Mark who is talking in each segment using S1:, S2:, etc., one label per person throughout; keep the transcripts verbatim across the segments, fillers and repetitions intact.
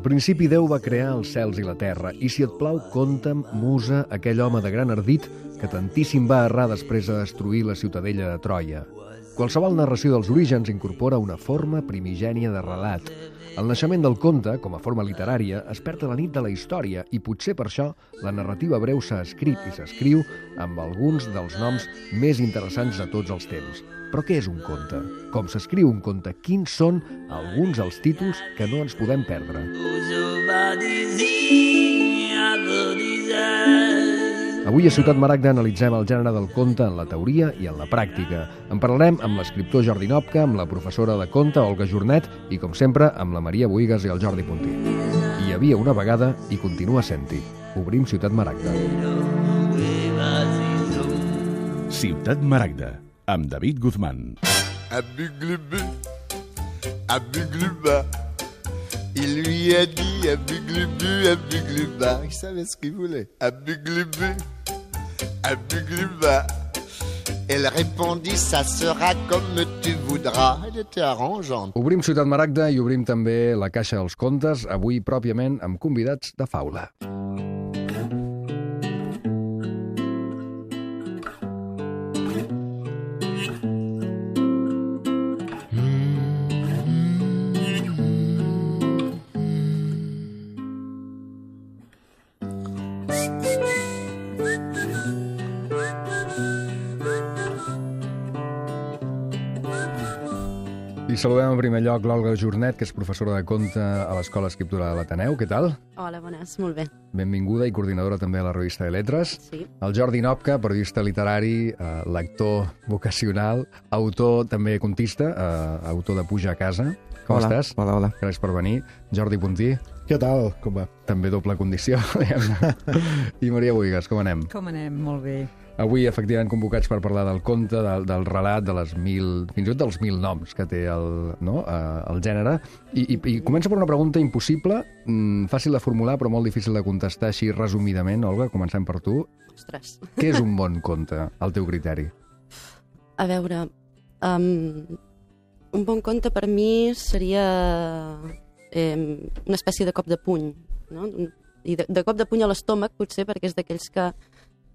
S1: principi Déu va crear els cels i la terra, i si et plau, conta'm, musa, aquell home de gran ardit que tantíssim va errar després de destruir la ciutadella de Troia. Qualsevol narració dels orígens incorpora una forma primigènia de relat. El naixement del conte, com a forma literària, es perd a la nit de la història i potser per això la narrativa breu s'ha escrit i s'escriu amb alguns dels noms més interessants de tots els temps. Però què és un conte? Com s'escriu un conte? Quins són alguns dels títols que no ens podem perdre? Avui a Ciutat Maragda analitzem el gènere del conte en la teoria i en la pràctica. En parlarem amb l'escriptor Jordi Nopka, amb la professora de conte Olga Jornet i, com sempre, amb la Maria Bohigas i el Jordi Puntí. Hi havia una vegada i continua sent-hi. Obrim Ciutat Maragda.
S2: Ciutat Maragda, amb David Guzmán.
S3: Abuglubu, abugluba. Il lui a dit abuglubu, abugluba. Il savait ce qu'il voulait. Abuglubu, abugluba. Elle répondit, ça sera comme tu voudras. Elle était arrangeante.
S1: Obrim Ciutat Maragda i obrim també la Caixa dels Contes, avui pròpiament amb convidats de faula. I saludem en primer lloc l'Olga Jornet, que és professora de conte a l'Escola Escriptura de l'Ateneu. Què tal?
S4: Hola, bones, molt bé.
S1: Benvinguda i coordinadora també a la revista de Letres.
S4: Sí.
S1: El Jordi Nopka, periodista literari, eh, lector vocacional, autor també contista, eh, autor de Puja a casa. Com
S5: hola.
S1: estàs?
S5: Hola, hola.
S1: Gràcies per venir. Jordi Puntí.
S6: Què tal? Com va?
S1: També doble condició, diguem-ne. I Maria Bohigas, com anem?
S7: Com anem? Molt bé.
S1: Avui, efectivament, convocats per parlar del conte, del, del relat, de les mil, fins i tot dels mil noms que té el, no? uh, el gènere. I, i, I comença per una pregunta impossible, mm, fàcil de formular, però molt difícil de contestar així resumidament. Olga, comencem per tu.
S4: Ostres.
S1: Què és un bon conte, al teu criteri?
S4: A veure, um, un bon conte per mi seria eh, una espècie de cop de puny, no? I de, de cop de puny a l'estómac, potser, perquè és d'aquells que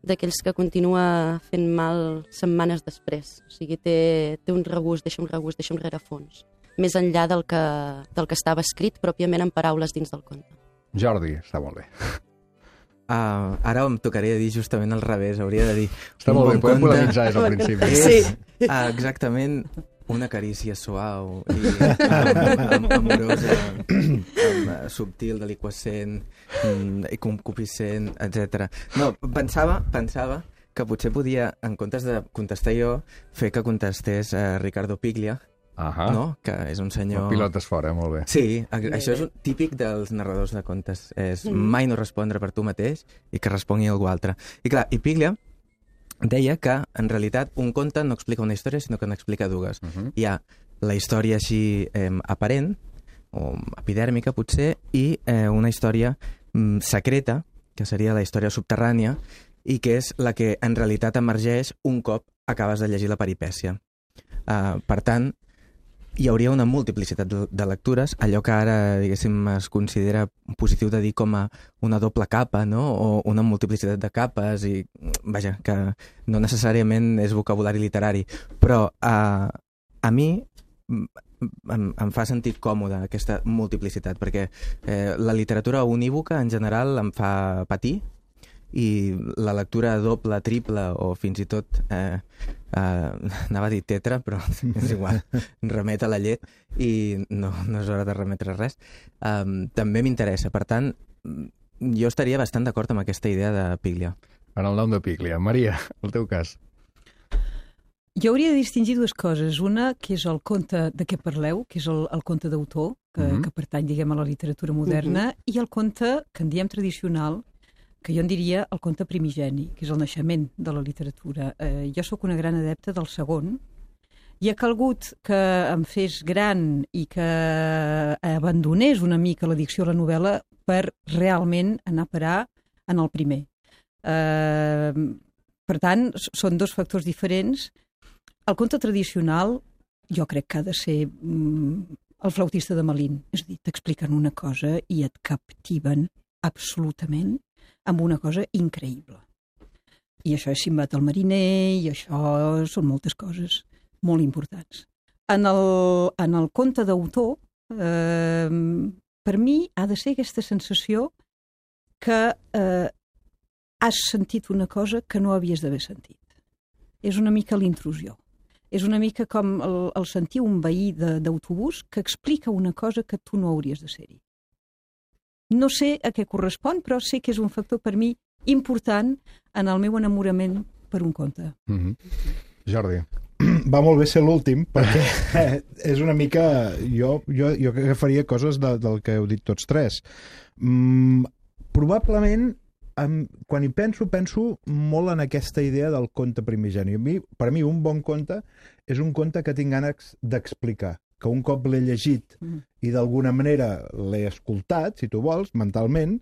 S4: d'aquells que continua fent mal setmanes després. O sigui, té, té un regust, deixa un regust, deixa un rerefons. Més enllà del que, del que estava escrit, pròpiament en paraules dins del conte.
S1: Jordi, està molt bé.
S5: Uh, ara em tocaria dir justament al revés, hauria de dir...
S1: Està molt bé, podem polemitzar des del principi.
S5: És, uh, exactament una carícia suau i um, amorosa, um, subtil, deliquescent, um, i concupiscent, etcètera. No, pensava, pensava que potser podia, en comptes de contestar jo, fer que contestés uh, Ricardo Piglia,
S1: Ahà.
S5: no? Que és un senyor...
S1: El pilot és fora, molt bé.
S5: Sí, això és un típic dels narradors de contes. És mai no respondre per tu mateix i que respongui algú altre. I clar, i Piglia deia que, en realitat, un conte no explica una història, sinó que n'explica dues. Uh -huh. Hi ha la història així eh, aparent, o epidèrmica, potser, i eh, una història mm, secreta, que seria la història subterrània, i que és la que, en realitat, emergeix un cop acabes de llegir la peripècia. Uh, per tant, hi hauria una multiplicitat de, de lectures, allò que ara, diguéssim, es considera positiu de dir com a una doble capa, no? O una multiplicitat de capes, i, vaja, que no necessàriament és vocabulari literari, però uh, a mi em, em fa sentir còmode aquesta multiplicitat, perquè eh, la literatura unívoca, en general, em fa patir, i la lectura doble, triple o fins i tot eh, eh, anava a dir tetra, però és igual, remet a la llet i no, no és hora de remetre res, um, també m'interessa. Per tant, jo estaria bastant d'acord amb aquesta idea de Piglia.
S1: En el nom de Piglia. Maria, el teu cas.
S7: Jo hauria de distingir dues coses. Una, que és el conte de què parleu, que és el, el conte d'autor, que, uh-huh. que pertany, diguem, a la literatura moderna, uh-huh. i el conte que en diem tradicional, que jo en diria el conte primigeni, que és el naixement de la literatura. Eh, jo sóc una gran adepta del segon, i ha calgut que em fes gran i que abandonés una mica l'addicció a la novel·la per realment anar a parar en el primer. Eh, per tant, són dos factors diferents. El conte tradicional jo crec que ha de ser mm, El flautista de Malín. És a dir, t'expliquen una cosa i et captiven absolutament amb una cosa increïble. I això és Simbad el mariner, i això són moltes coses molt importants. En el, en el conte d'autor, eh, per mi ha de ser aquesta sensació que eh, has sentit una cosa que no havies d'haver sentit. És una mica l'intrusió. És una mica com el, el sentir un veí d'autobús que explica una cosa que tu no hauries de ser-hi. No sé a què correspon, però sé que és un factor per mi important en el meu enamorament per un conte.
S1: Mm-hmm. Jordi.
S6: Va molt bé ser l'últim, perquè és una mica... Jo, jo, jo agafaria coses de, del que heu dit tots tres. Mm, probablement, em, quan hi penso, penso molt en aquesta idea del conte primigeni. A mi, per mi, un bon conte és un conte que tinc ganes d'explicar, que un cop l'he llegit i d'alguna manera l'he escoltat, si tu vols, mentalment,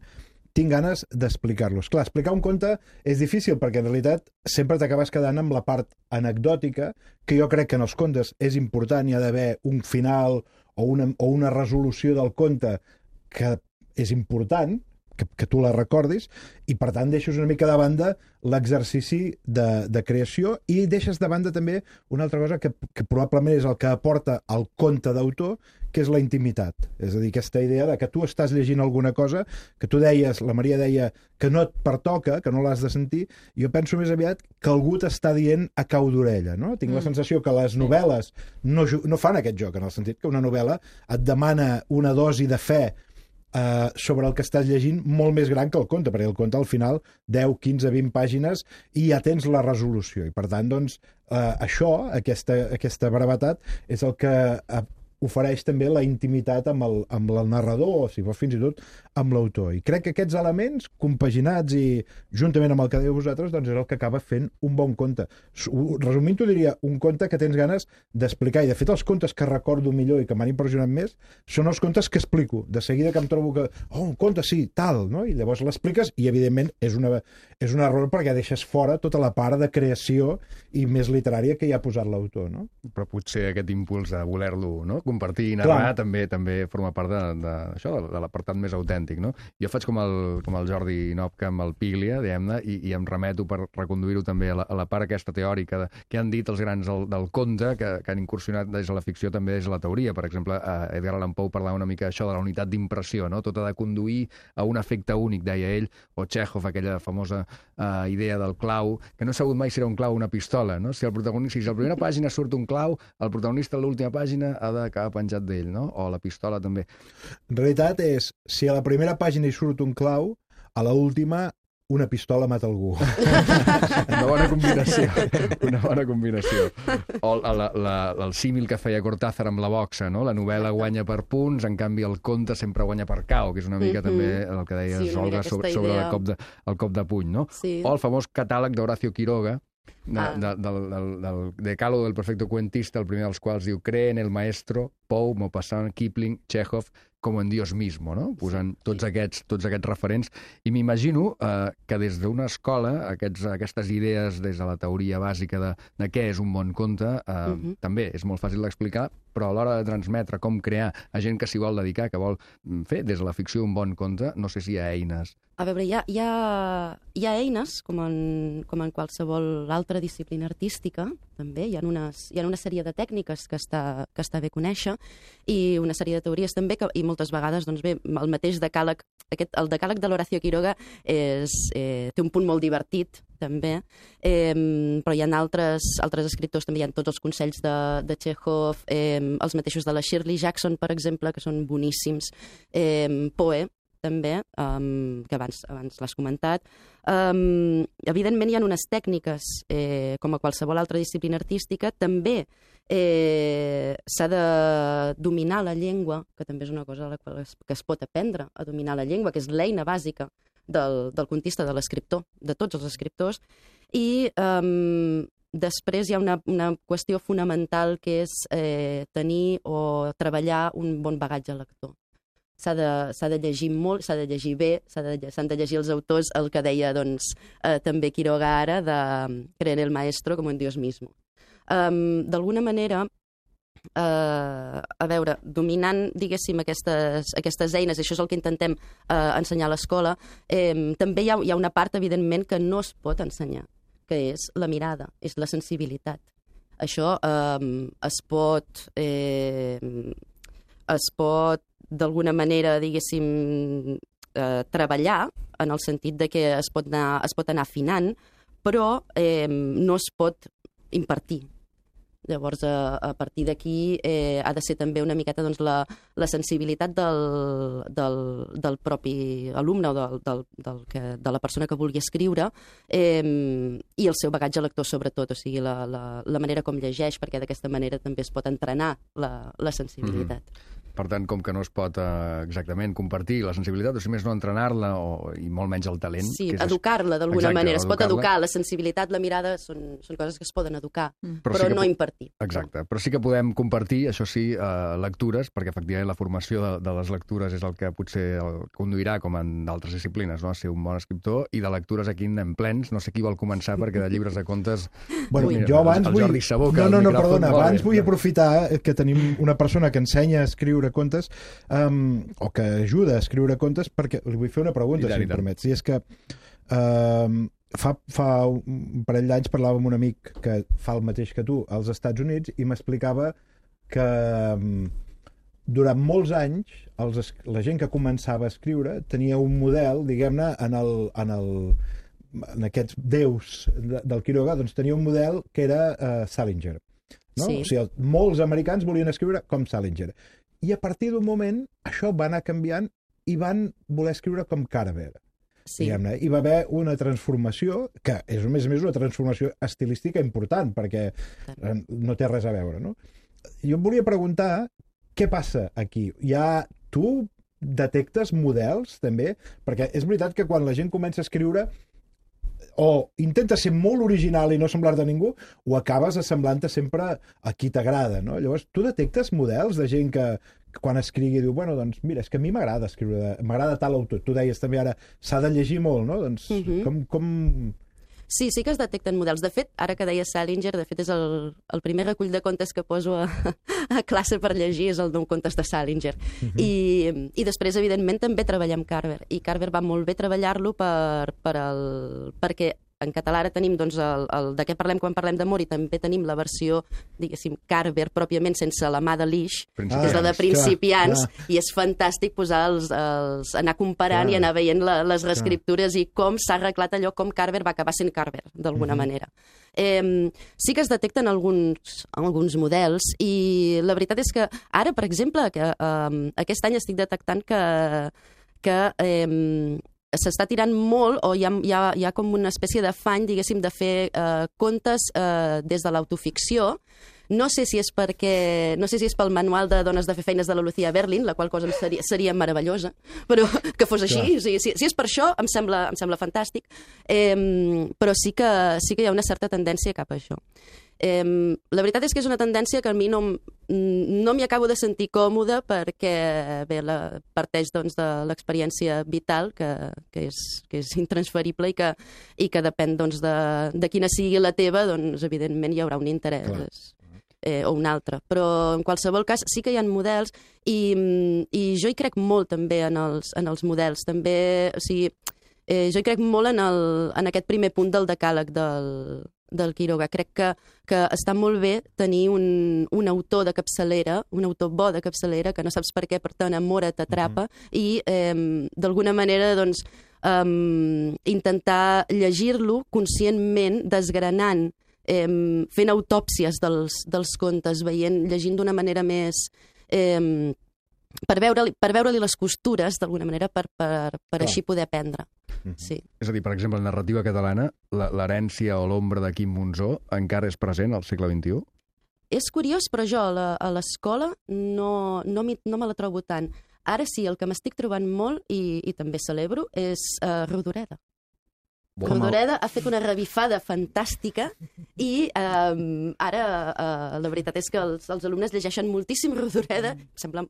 S6: tinc ganes d'explicar-los. Clar, explicar un conte és difícil perquè en realitat sempre t'acabes quedant amb la part anecdòtica, que jo crec que en els contes és important, hi ha d'haver un final o una, o una resolució del conte que és important, que, que tu la recordis, i per tant deixes una mica de banda l'exercici de, de creació i deixes de banda també una altra cosa que, que probablement és el que aporta el conte d'autor, que és la intimitat. És a dir, aquesta idea de que tu estàs llegint alguna cosa, que tu deies, la Maria deia, que no et pertoca, que no l'has de sentir, i jo penso més aviat que algú t'està dient a cau d'orella, no? Tinc mm. la sensació que les novel·les no, no fan aquest joc, en el sentit que una novel·la et demana una dosi de fe Uh, sobre el que estàs llegint molt més gran que el conte, perquè el conte al final deu, quinze, vint pàgines i ja tens la resolució i per tant doncs uh, això, aquesta, aquesta brevetat és el que uh, ofereix també la intimitat amb el, amb el narrador o si vols fins i tot amb l'autor i crec que aquests elements compaginats i juntament amb el que dèieu vosaltres doncs és el que acaba fent un bon conte. Resumint-ho diria un conte que tens ganes d'explicar i de fet els contes que recordo millor i que m'han impressionat més són els contes que explico. De seguida que em trobo que oh, un conte sí, tal, no? I llavors l'expliques i evidentment és, una, és un error perquè deixes fora tota la part de creació i més literària que hi ha posat l'autor, no?
S1: Però potser aquest impuls de voler-lo, no? Compartir i narrar també també forma part de, de, això, de l'apartat més autèntic, no? Jo faig com el, com el Jordi Nopka amb el Piglia, diguem-ne, i, i em remeto per reconduir-ho també a la, a la part aquesta teòrica de, que han dit els grans del, del conte, que, que han incursionat des de la ficció també des de la teoria. Per exemple, eh, Edgar Allan Poe parlava una mica això de la unitat d'impressió, no? Tot ha de conduir a un efecte únic, deia ell, o Chekhov, aquella famosa eh, idea del clau, que no he sabut mai si era un clau o una pistola, no? Si, el protagonista, si a la primera pàgina surt un clau, el protagonista a l'última pàgina ha d'acabar penjat d'ell, no? O la pistola també.
S6: En realitat és, si a la primera pàgina hi surt un clau, a l'última una pistola mata algú.
S1: Una bona combinació. Una bona combinació. O la, la, la, el símil que feia Cortázar amb la boxa, no? La novel·la guanya per punts, en canvi el conte sempre guanya per cau, que és una mica mm-hmm. també el que deies, sí, Olga, sobre, sobre el, cop de, el cop de puny, no?
S4: Sí.
S1: O el famós catàleg d'Horacio Quiroga, de, ah. de, del, del, del decálogo del perfecto cuentista, el primer dels quals diu cree en el maestro, Poe, Maupassant, Kipling, Chekhov, com en Dios mismo, no? Posant tots aquests, tots aquests referents. I m'imagino eh, que des d'una escola, aquests, aquestes idees des de la teoria bàsica de, de què és un bon conte, eh, uh-huh. també és molt fàcil d'explicar, però a l'hora de transmetre com crear a gent que s'hi vol dedicar, que vol fer des de la ficció un bon conte, no sé si hi ha eines.
S4: A veure, hi ha, hi ha, hi ha eines, com en, com en qualsevol altra disciplina artística, també. Hi ha, unes, hi ha una sèrie de tècniques que està, que està bé conèixer i una sèrie de teories també, que, i moltes vegades doncs bé, el mateix decàleg, aquest, el decàleg de l'Horacio Quiroga és, eh, té un punt molt divertit, també, eh, però hi ha altres, altres escriptors, també hi ha tots els consells de, de Chekhov, eh, els mateixos de la Shirley Jackson, per exemple, que són boníssims, eh, Poe, també, um, que abans, abans l'has comentat. Um, evidentment hi ha unes tècniques, eh, com a qualsevol altra disciplina artística, també eh, s'ha de dominar la llengua, que també és una cosa a la qual es, que es pot aprendre, a dominar la llengua, que és l'eina bàsica del, del contista, de l'escriptor, de tots els escriptors, i um, després hi ha una, una qüestió fonamental que és eh, tenir o treballar un bon bagatge lector. S'ha de, s'ha de llegir molt, s'ha de llegir bé, s'han de, s'han de llegir els autors, el que deia doncs, eh, també Quiroga ara, de creer en el maestro com en Dios mismo. Um, d'alguna manera, eh, a veure, dominant, diguéssim, aquestes, aquestes eines, i això és el que intentem eh, ensenyar a l'escola, eh, també hi ha, hi ha una part, evidentment, que no es pot ensenyar, que és la mirada, és la sensibilitat. Això eh, es pot... Eh, es pot, d'alguna manera, diguéssim, eh, treballar, en el sentit de que es pot anar, es pot anar afinant, però eh, no es pot impartir. Llavors, a, a partir d'aquí eh, ha de ser també una miqueta doncs, la, la sensibilitat del, del, del propi alumne o del, del, del que, de la persona que vulgui escriure eh, i el seu bagatge lector, sobretot, o sigui, la, la, la manera com llegeix, perquè d'aquesta manera també es pot entrenar la, la sensibilitat.
S1: Mm-hmm. Per tant, com que no es pot eh, exactament compartir la sensibilitat, o si més no entrenar-la, o, i molt menys el talent...
S4: Sí,
S1: que és...
S4: educar-la d'alguna
S1: Exacte,
S4: manera. Es pot
S1: educar-la.
S4: educar, la sensibilitat, la mirada, són, són coses que es poden educar, mm. però,
S1: Però sí
S4: però
S1: que
S4: no
S1: po-
S4: impartir.
S1: Exacte, però sí que podem compartir, això sí, eh, lectures, perquè efectivament la formació de, de les lectures és el que potser el conduirà, com en d'altres disciplines, no? A ser un bon escriptor, i de lectures aquí en anem plens. No sé qui vol començar, perquè de llibres de contes...
S6: Bueno,
S1: Mira,
S6: jo abans
S1: el
S6: vull...
S1: Jordi Sabó, que
S6: no,
S1: el
S6: no, no,
S1: micròfon
S6: perdona,
S1: molt
S6: abans
S1: bé.
S6: vull aprofitar que tenim una persona que ensenya a escriure contes um, o que ajuda a escriure contes, perquè li vull fer una pregunta,
S1: I tant,
S6: si
S1: i
S6: em
S1: tant.
S6: permets. I és que um, fa, fa un parell d'anys parlava amb un amic que fa el mateix que tu als Estats Units i m'explicava que um, durant molts anys els, es- la gent que començava a escriure tenia un model, diguem-ne, en el, en el en aquests déus de, del Quiroga, doncs tenia un model que era uh, Salinger. No?
S4: Sí.
S6: O sigui, el, molts americans volien escriure com Salinger. I a partir d'un moment això va anar canviant i van voler escriure com Carver.
S4: Sí.
S6: Diguem-ne. Hi va haver una transformació, que és a més a més una transformació estilística important, perquè eh, no té res a veure, no? Jo em volia preguntar què passa aquí. Hi ha... Tu detectes models, també? Perquè és veritat que quan la gent comença a escriure o intenta ser molt original i no semblar-te a ningú, o acabes assemblant-te sempre a qui t'agrada, no? Llavors, tu detectes models de gent que, que quan escrigui diu, bueno, doncs mira, és que a mi m'agrada escriure, m'agrada tal autor. Tu deies també ara, s'ha de llegir molt, no? Doncs
S4: Mhm.
S6: com... com...
S4: Sí, sí que es detecten models. De fet, ara que deia Salinger, de fet és el, el primer recull de contes que poso a, a classe per llegir, és el d'un contes de Salinger.
S6: Mhm.
S4: I, I després, evidentment, també treballem Carver. I Carver va molt bé treballar-lo per, per el, perquè en català ara tenim doncs, el, el de què parlem quan parlem d'amor, i també tenim la versió, diguéssim, Carver, pròpiament sense la mà de l'Ix, que és la de principiants,
S6: clar, clar.
S4: i és fantàstic posar els, els, anar comparant
S6: Clar.
S4: i anar veient la, les reescriptures i com s'ha arreglat allò, com Carver va acabar sent Carver, d'alguna
S6: Mhm.
S4: manera. Eh, sí que es detecten alguns, alguns models, i la veritat és que ara, per exemple, que, eh, aquest any estic detectant que, que eh, s'està tirant molt, o hi ha, hi, ha, hi ha com una espècie d'afany, diguéssim, de fer eh, contes eh, des de l'autoficció. No sé si és perquè, no sé si és pel manual de dones de fer feines de la Lucía Berlin, la qual cosa em seria, seria meravellosa, però que fos així. O sigui, si, si és per això, em sembla, em sembla fantàstic. Eh, però sí que, sí que hi ha una certa tendència cap a això. Eh, la veritat és que és una tendència que a mi no, m- no m'hi acabo de sentir còmoda, perquè bé, la, parteix doncs, de l'experiència vital, que, que, és, que és intransferible i que, i que depèn doncs, de, de quina sigui la teva, doncs evidentment hi haurà un interès.
S6: Clar.
S4: Eh, o un altre. Però en qualsevol cas sí que hi ha models, i, i jo hi crec molt també en els, en els models. També, o sigui, eh, jo hi crec molt en, el, en aquest primer punt del decàleg del, del Quiroga. Crec que, que està molt bé tenir un, un autor de capçalera, un autor bo de capçalera, que no saps per què, però t'enamora, t'atrapa, mm-hmm. i eh, d'alguna manera doncs, eh, intentar llegir-lo conscientment, desgranant, eh, fent autòpsies dels, dels contes, veient, llegint d'una manera més... Eh, per veure-li per veure-li les costures, d'alguna manera, per, per, per
S6: Clar.
S4: així poder aprendre. Sí.
S1: És a dir, per exemple, en narrativa catalana, la- l'herència o l'ombra de Quim Monzó encara és present al segle vint-i-u?
S4: És curiós, però jo a la- a l'escola no, no, m'hi- no me la trobo tant. Ara sí, el que m'estic trobant molt, i, i també celebro, és uh, Rodoreda. Rodoreda ha fet una revifada fantàstica i um, ara uh, la veritat és que els, els alumnes llegeixen moltíssim Rodoreda. Em sembla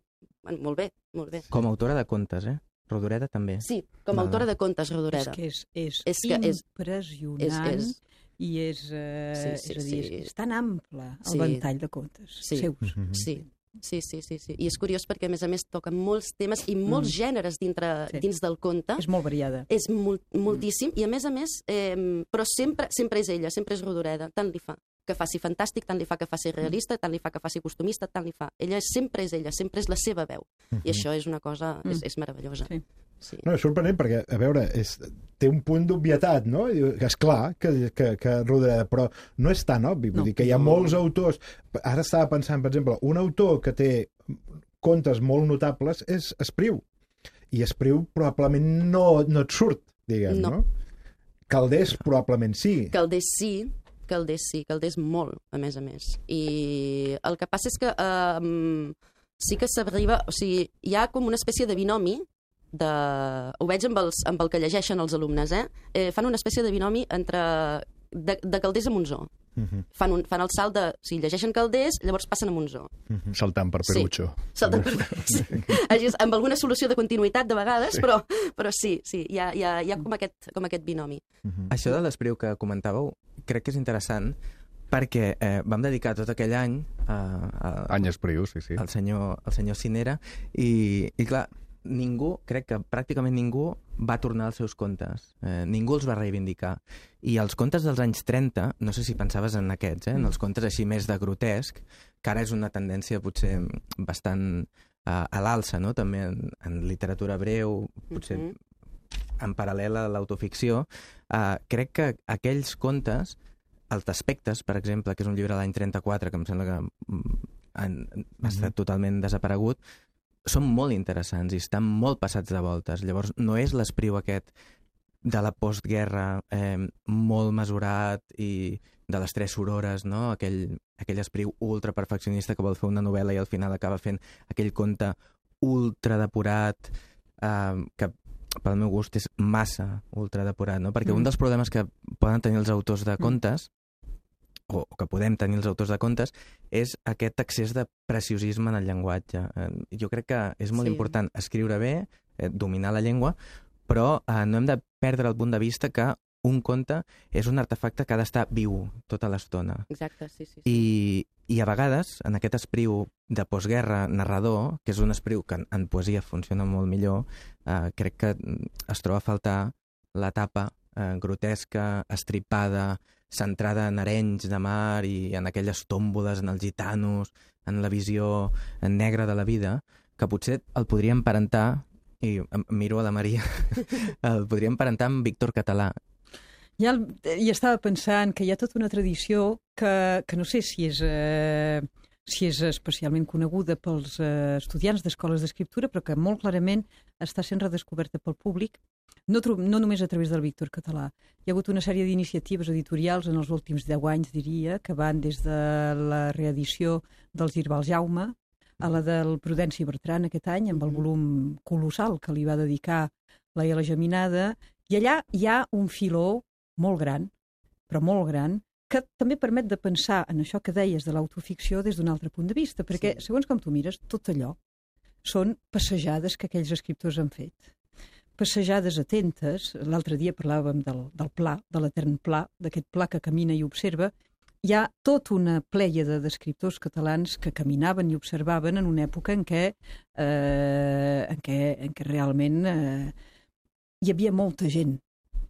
S4: bueno, molt bé, molt bé.
S5: Com a autora de contes, eh? Rodoreda també.
S4: Sí, com a
S5: Val,
S4: autora
S5: val.
S4: de contes,
S7: És
S4: Rodoreda.
S7: que és, és,
S4: És que és-
S7: impressionant
S4: és- és-
S7: i és, eh,
S4: Sí, sí,
S7: és a dir,
S4: sí.
S7: és tan ample el
S4: Sí.
S7: ventall de contes
S4: Sí.
S7: seus.
S6: Mhm.
S4: Sí. Sí, sí, sí, sí. I és curiós perquè, a més a més, toquen molts temes i molts mm. gèneres dintre,
S7: Sí.
S4: dins del conte.
S7: És molt variada.
S4: És molt, moltíssim, i a més a més, eh, però sempre, sempre és ella, sempre és Rodoreda, tant li fa que faci fantàstic, tant li fa que faci realista, tant li fa que faci costumista, tant li fa. Ella sempre és ella, sempre és la seva veu.
S6: Mhm.
S4: I això és una cosa, és, és meravellosa.
S7: Sí.
S4: Sí.
S6: No, és sorprenent perquè, a veure, és, té un punt d'obvietat, no? I diu que és clar que, que, que Rodoreda, però no és tan obvi. Vull
S7: No.
S6: dir que hi ha
S4: No.
S6: molts autors... Ara estava pensant, per exemple, un autor que té contes molt notables és Espriu. I Espriu probablement no, no et surt, diguem, no?
S4: No.
S6: Calders probablement sí.
S4: Calders sí, Calders sí, Calders molt, a més a més. I el que passa és que eh, sí que s'arriba... O sigui, hi ha com una espècie de binomi de... Ho veig amb, els, amb el que llegeixen els alumnes, eh? eh fan una espècie de binomi entre... de, de Calders a Monzó.
S6: Mhm.
S4: Fan, un, fan el salt de... Si llegeixen Calders, llavors passen a Monzó.
S1: Saltant per Perucho.
S4: Salten per... sí. Així és, amb alguna solució de continuïtat de vegades, sí. però, però sí, sí, hi ha, hi ha, hi ha com, aquest, com aquest binomi.
S5: Això de l'Espriu que comentàveu crec que és interessant perquè eh, vam dedicar tot aquell any a, a,
S1: Any Espriu, sí, sí.
S5: al senyor, al senyor Cinera i, i clar, ningú, crec que pràcticament ningú va tornar als seus contes. Eh, ningú els va reivindicar. I els contes dels anys trenta, no sé si pensaves en aquests, eh, en els contes així més de grotesc, que ara és una tendència potser bastant uh, a l'alça, no? També en, en literatura breu, potser
S4: Mhm.
S5: en paral·lel a l'autoficció, uh, crec que aquells contes, els d'Aspectes, per exemple, que és un llibre de l'any trenta-quatre, que em sembla que mm, han, ha estat totalment desaparegut, són molt interessants i estan molt passats de voltes. Llavors, no és l'Espriu aquest de la postguerra eh, molt mesurat i de les tres sorores, no? Aquell, aquell Espriu ultraperfeccionista que vol fer una novel·la i al final acaba fent aquell conte ultradepurat eh, que pel meu gust és massa ultradepurat, no? Perquè mm. un dels problemes que poden tenir els autors de contes o que podem tenir els autors de contes, és aquest excés de preciosisme en el llenguatge. Eh, jo crec que és molt
S4: Sí.
S5: important escriure bé, eh, dominar la llengua, però eh, no hem de perdre el punt de vista que un conte és un artefacte que ha d'estar viu tota l'estona.
S4: Exacte, sí, sí. sí.
S5: I, I a vegades, en aquest Espriu de postguerra narrador, que és un Espriu que en, en poesia funciona molt millor, eh, crec que es troba a faltar l'etapa eh, grotesca, estripada, centrada en arenys de mar i en aquelles tòmboles, en els gitanos, en la visió negra de la vida, que potser el podríem parentar, i em miro a la Maria, el podríem parentar amb Víctor Català.
S7: Ja el, i estava pensant que hi ha tota una tradició que, que no sé si és, eh, si és especialment coneguda pels eh, estudiants d'escoles d'escriptura, però que molt clarament està sent redescoberta pel públic, no, no només a través del Víctor Català. Hi ha hagut una sèrie d'iniciatives editorials en els últims deu anys, diria, que van des de la reedició del Girbal Jaume a la del Prudenci Bertran aquest any, amb el volum colossal que li va dedicar la I A la Geminada, i allà hi ha un filó molt gran, però molt gran, que també permet de pensar en això que deies de l'autoficció des d'un altre punt de vista, perquè, sí. segons com tu mires, tot allò són passejades que aquells escriptors han fet. Passejades atentes, l'altre dia parlàvem del, del pla, de l'etern pla, d'aquest pla que camina i observa. Hi ha tota una plèiade d'escriptors catalans que caminaven i observaven en una època en què, eh, en què, en què realment eh, hi havia molta gent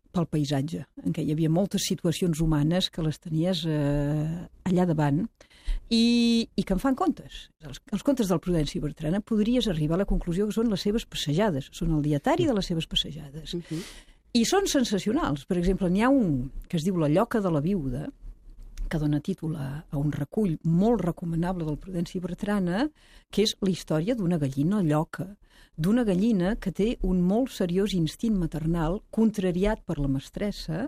S7: pel paisatge, en què hi havia moltes situacions humanes que les tenies eh, allà davant i, i que en fan contes. Els, els contes del Prudenci Bertrana podries arribar a la conclusió que són les seves passejades, són el dietari de les seves passejades.
S4: Uh-huh.
S7: I són sensacionals. Per exemple, n'hi ha un que es diu La lloca de la viuda, que dona títol a, a un recull molt recomanable del Prudenci Bertrana, que és la història d'una gallina lloca, d'una gallina que té un molt seriós instint maternal, contrariat per la mestressa,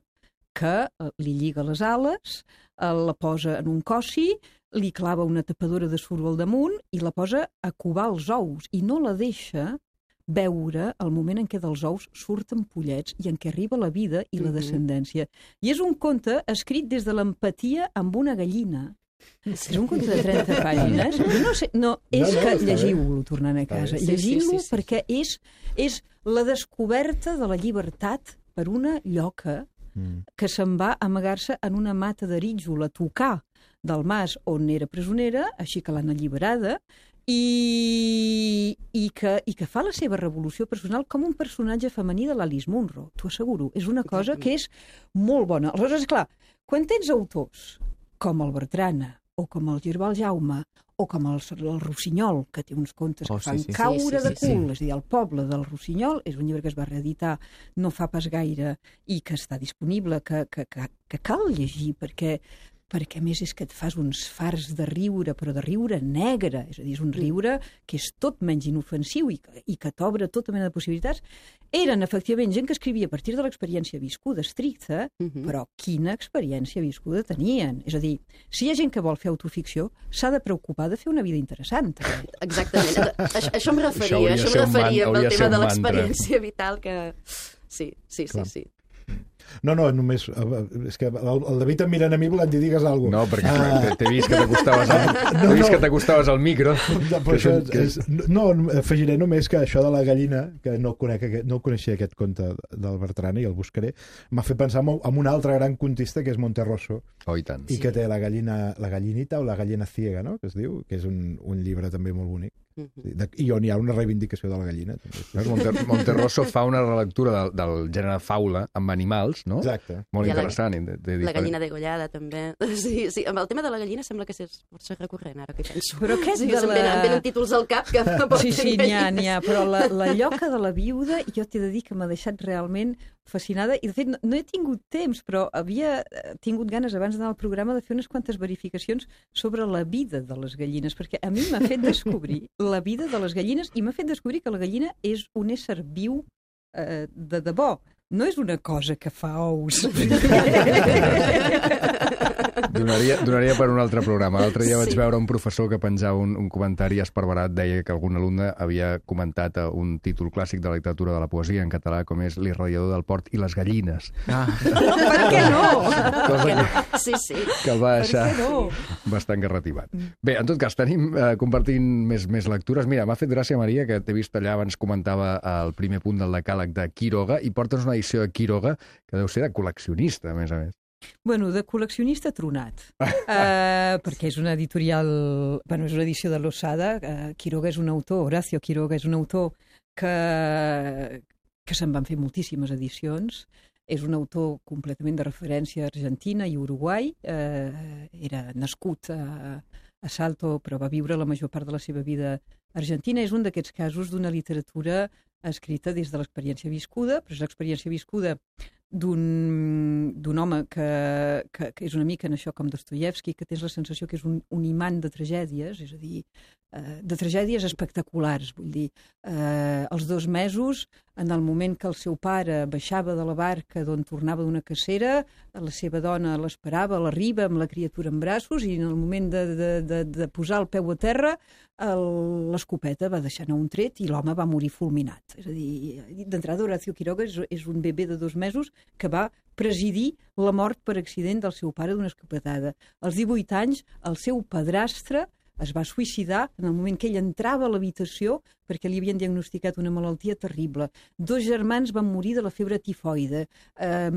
S7: que li lliga les ales, la posa en un cossi, li clava una tapadora de suro al damunt i la posa a covar els ous i no la deixa veure el moment en què dels ous surten pollets i en què arriba la vida i la descendència. I és un conte escrit des de l'empatia amb una gallina. És un conte de trenta pàgines. Jo no sé, no, és
S6: No, no,
S7: que
S6: està bé.
S7: llegiu-lo tornant a casa.
S4: Sí, sí,
S7: Llegiu-lo
S4: sí, sí, sí.
S7: perquè és, és la descoberta de la llibertat per una lloca
S6: Mm.
S7: que se'n va amagar-se en una mata d'arítjol a tocar del mas on era presonera, així que l'han alliberada, i, i, que, i que fa la seva revolució personal com un personatge femení de l'Alice Munro, t'ho asseguro. És una cosa que és molt bona. Aleshores, clar, quan tens autors com el Bertrana, o com el Girbal Jaume, o com el, el Rossinyol, que té uns contes
S5: Oh,
S7: que fan
S5: sí, sí, sí.
S7: caure
S4: Sí, sí,
S7: de
S4: sí,
S7: cul, és a dir, El poble del Rossinyol és un llibre que es va reeditar no fa pas gaire i que està disponible, que, que, que, que cal llegir, perquè perquè a més és que et fas uns fars de riure, però de riure negre, és a dir, és un riure que és tot menys inofensiu i que, i que t'obre tota mena de possibilitats. Eren, efectivament, gent que escrivia a partir de l'experiència viscuda estricta,
S4: Mhm.
S7: però quina experiència viscuda tenien. És a dir, si hi ha gent que vol fer autoficció, s'ha de preocupar de fer una vida interessant. també.
S4: Exactament. Això, això em referia,
S1: Això hauria
S4: això,
S1: de ser
S4: em
S1: un man-
S4: referia amb
S1: hauria
S4: el
S1: de
S4: tema
S1: ser
S4: de
S1: un mantra.
S4: l'experiència vital que... Sí, sí, sí,
S6: Clar.
S4: sí.
S6: No, no, només... eh, És que el, el David em mirant a mi volent dir digues alguna
S1: No,
S6: cosa.
S1: perquè t'he vist que t'acostaves al, t'he vist que t'acostaves al micro.
S6: No, però això és, no, afegiré només que això de la gallina, que no, conec, aquest- no coneixia aquest conte del Bertrana i el buscaré, m'ha fet pensar en un altre gran contista que és Monterroso,
S1: Oh, i tant.
S6: i que té la gallina, la gallinita o la gallina ciega, no?, que es diu, que és un, un llibre també molt bonic.
S4: Mhm.
S6: De, I on hi ha una reivindicació de la gallina. També.
S1: Veus, Monter, Monterroso fa una relectura del, del gènere faula amb animals, no?
S6: Exacte.
S1: Molt
S4: I la-
S1: interessant. De, de
S4: La gallina degollada, també. Sí, sí, amb el tema de la gallina sembla que és força recurrent, ara que hi penso.
S7: Però aquest
S4: sí,
S7: de
S4: se'm
S7: la-
S4: venen, em venen títols al cap que
S7: Sí, sí, n'hi ha, n'hi ha, però la, la lloca de la viuda jo t'he de dir que m'ha deixat realment fascinada i de fet no, no he tingut temps, però havia eh, tingut ganes abans d'anar al programa de fer unes quantes verificacions sobre la vida de les gallines, perquè a mi m'ha fet descobrir la vida de les gallines i m'ha fet descobrir que la gallina és un ésser viu eh, de debò. No és una cosa que fa ous.
S1: Donaria, donaria per un altre programa. L'altre dia vaig
S4: Sí.
S1: veure un professor que penjava un, un comentari esparverat, deia que algun alumne havia comentat eh, un títol clàssic de la literatura de la poesia en català, com és L'irradiador del port i les gallines.
S5: Ah,
S7: Per què no?
S1: Cosa que,
S4: Sí, sí.
S1: que el va
S7: Per
S1: deixar
S7: què no?
S1: bastant garrativat. Bé, en tot cas, tenim eh, compartint més, més lectures. Mira, m'ha fet gràcia, Maria, que t'he vist allà abans comentava el primer punt del decàleg de Quiroga i portes una edició de Quiroga que deu ser de col·leccionista, a més a més.
S7: Bueno, de col·leccionista tronat, uh, perquè és una editorial, bueno, és una edició de l'Osada. Uh, Quiroga és un autor, Horacio Quiroga és un autor que, que se'n van fer moltíssimes edicions. És un autor completament de referència a Argentina i Uruguai. Uh, era nascut a, a Salto, però va viure la major part de la seva vida a Argentina. És un d'aquests casos d'una literatura escrita des de l'experiència viscuda, però és l'experiència viscuda d'un d'un home que, que, que és una mica en això com Dostoievski, que tens la sensació que és un, un imant de tragèdies, és a dir, eh, de tragèdies espectaculars, vull dir, eh, els dos mesos, en el moment que el seu pare baixava de la barca d'on tornava d'una cacera, la seva dona l'esperava, l'arriba amb la criatura en braços i en el moment de, de, de, de posar el peu a terra l'escopeta va deixar anar un tret i l'home va morir fulminat. És a dir, d'entrada Horacio Quiroga és, és un bebè de dos mesos que va presidir la mort per accident del seu pare d'una escopetada. Als divuit anys, el seu padrastre es va suïcidar en el moment que ell entrava a l'habitació perquè li havien diagnosticat una malaltia terrible. Dos germans van morir de la febre tifoide.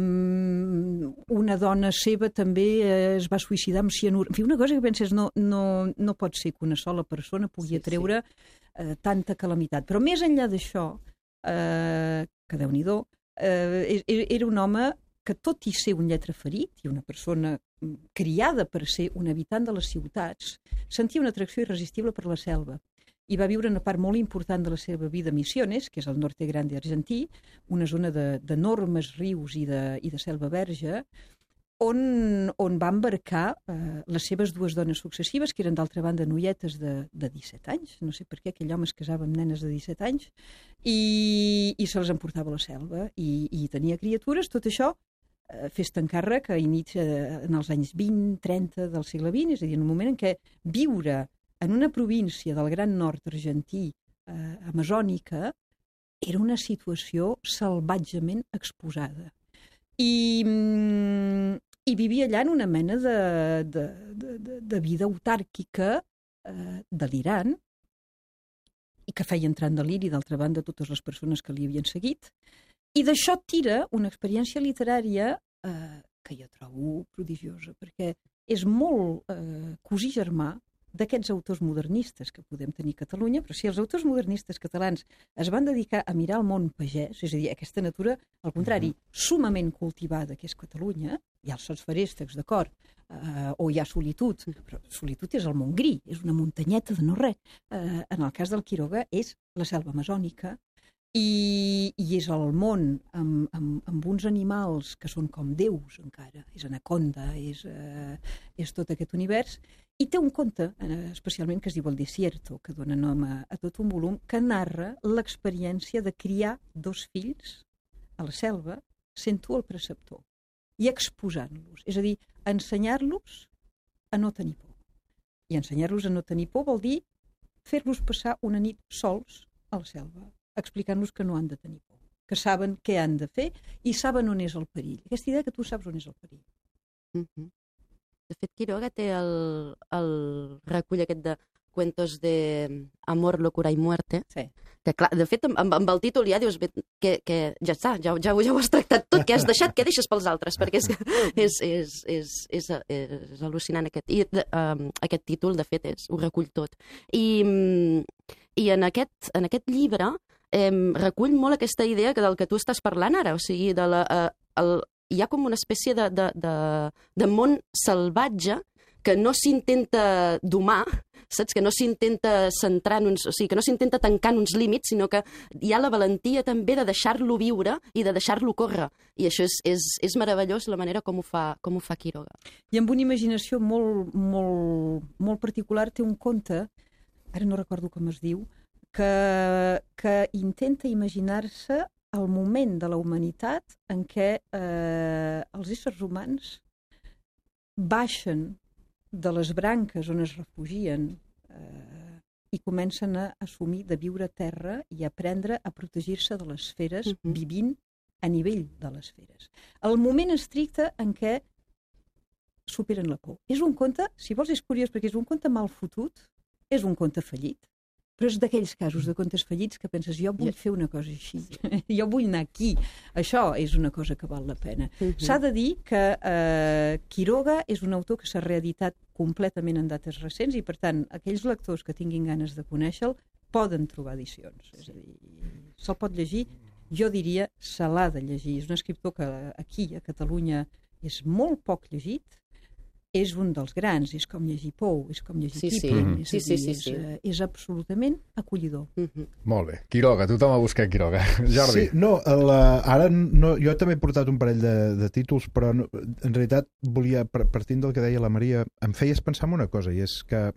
S7: Um, una dona seva també eh, es va suïcidar amb cianur. En fi, una cosa que penses, no, no, no pot ser que una sola persona pugui
S4: Sí,
S7: atreure eh, tanta calamitat. Però més enllà d'això, eh, que Déu-n'hi-do, eh, era un home que tot i ser un lletraferit i una persona criada per ser un habitant de les ciutats, sentia una atracció irresistible per la selva. I va viure una part molt important de la seva vida a Misiones, que és el Norte Grande argentí, una zona d'enormes rius i de, i de selva verge, on, on va embarcar eh, les seves dues dones successives, que eren d'altra banda noietes de, de disset anys, no sé per què aquell home es casava amb nenes de disset anys, i, i se les emportava a la selva, i, i tenia criatures, tot això eh, fes-te encàrrec a inici, en els anys vint trenta del segle vint, és a dir, en un moment en què viure en una província del Gran Nord argentí, eh, amazònica, era una situació salvatgement exposada. I, i vivia allà en una mena de, de, de, de vida autàrquica eh, delirant, i que feia entrar en deliri, d'altra banda, totes les persones que li havien seguit. I d'això tira una experiència literària eh, que jo trobo prodigiosa, perquè és molt eh, cosí germà d'aquests autors modernistes que podem tenir a Catalunya, però si els autors modernistes catalans es van dedicar a mirar el món pagès, és a dir, aquesta natura, al contrari, sumament cultivada que és Catalunya, hi ha els sots feréstecs, d'acord, eh, o hi ha solitud, però solitud és el Montgrí, és una muntanyeta de no res. Eh, en el cas del Quiroga és la selva amazònica, i, i és el món amb, amb, amb uns animals que són com déus encara, és anaconda, és, eh, és tot aquest univers, i té un conte, eh, especialment, que es diu El Desierto, que dona nom a, a tot un volum, que narra l'experiència de criar dos fills a la selva sent tu el preceptor i exposant-los, és a dir, ensenyar-los a no tenir por. I ensenyar-los a no tenir por vol dir fer-los passar una nit sols a la selva, explicant-los que no han de tenir por, que saben què han de fer i saben on és el perill. Aquesta idea que tu saps on és el perill.
S4: Mm-hmm. De fet, Quiroga té el, el recull aquest de Cuentos de Amor, Locura i Muerte,
S7: sí.
S4: Que clar, de fet, amb, amb el títol ja dius que, que ja està, ja, ja, ja ho has tractat tot, que has deixat, que deixes pels altres, perquè és, és, és, és, és, és al·lucinant aquest, i, um, aquest títol, de fet, és, ho recull tot. I, i en, aquest, en aquest llibre eh, recull molt aquesta idea que del que tu estàs parlant ara, o sigui, de la, uh, el, hi ha com una espècie de, de, de, de món salvatge que no s'intenta domar, saps? Que no s'intenta centrar en uns, o sigui, que no s'intenta tancar en uns límits, sinó que hi ha la valentia també de deixar-lo viure i de deixar-lo córrer. I això és, és, és meravellós la manera com ho fa, com ho fa Quiroga.
S7: I amb una imaginació molt, molt, molt particular té un conte, ara no recordo com es diu, que, que intenta imaginar-se el moment de la humanitat en què eh, els éssers humans baixen de les branques on es refugien eh, i comencen a assumir de viure a terra i aprendre a protegir-se de les feres uh-huh. vivint a nivell de les feres. El moment estricte en què superen la por. És un conte, si vols és curiós perquè és un conte mal fotut, és un conte fallit, però és d'aquells casos de contes fallits que penses, jo vull fer una cosa així, jo vull anar aquí, això és una cosa que val la pena. Uh-huh. S'ha de dir que eh, Quiroga és un autor que s'ha reeditat completament en dates recents i, per tant, aquells lectors que tinguin ganes de conèixer-lo poden trobar edicions. És a dir, se'l pot llegir, jo diria, se l'ha de llegir. És un escriptor que aquí, a Catalunya, és molt poc llegit, és un dels grans, és com llegir Pou, és com llegir
S4: sí,
S7: Kipling,
S4: sí.
S7: és,
S4: Sí,
S7: dir,
S4: sí, sí, sí.
S7: és, és absolutament acollidor.
S4: Mm-hmm.
S1: Molt bé. Quiroga, tothom ha buscat Quiroga. Jordi.
S6: Sí, no, la, ara no, jo també he portat un parell de, de títols, però no, en realitat volia, partint del que deia la Maria, em feies pensar en una cosa, i és que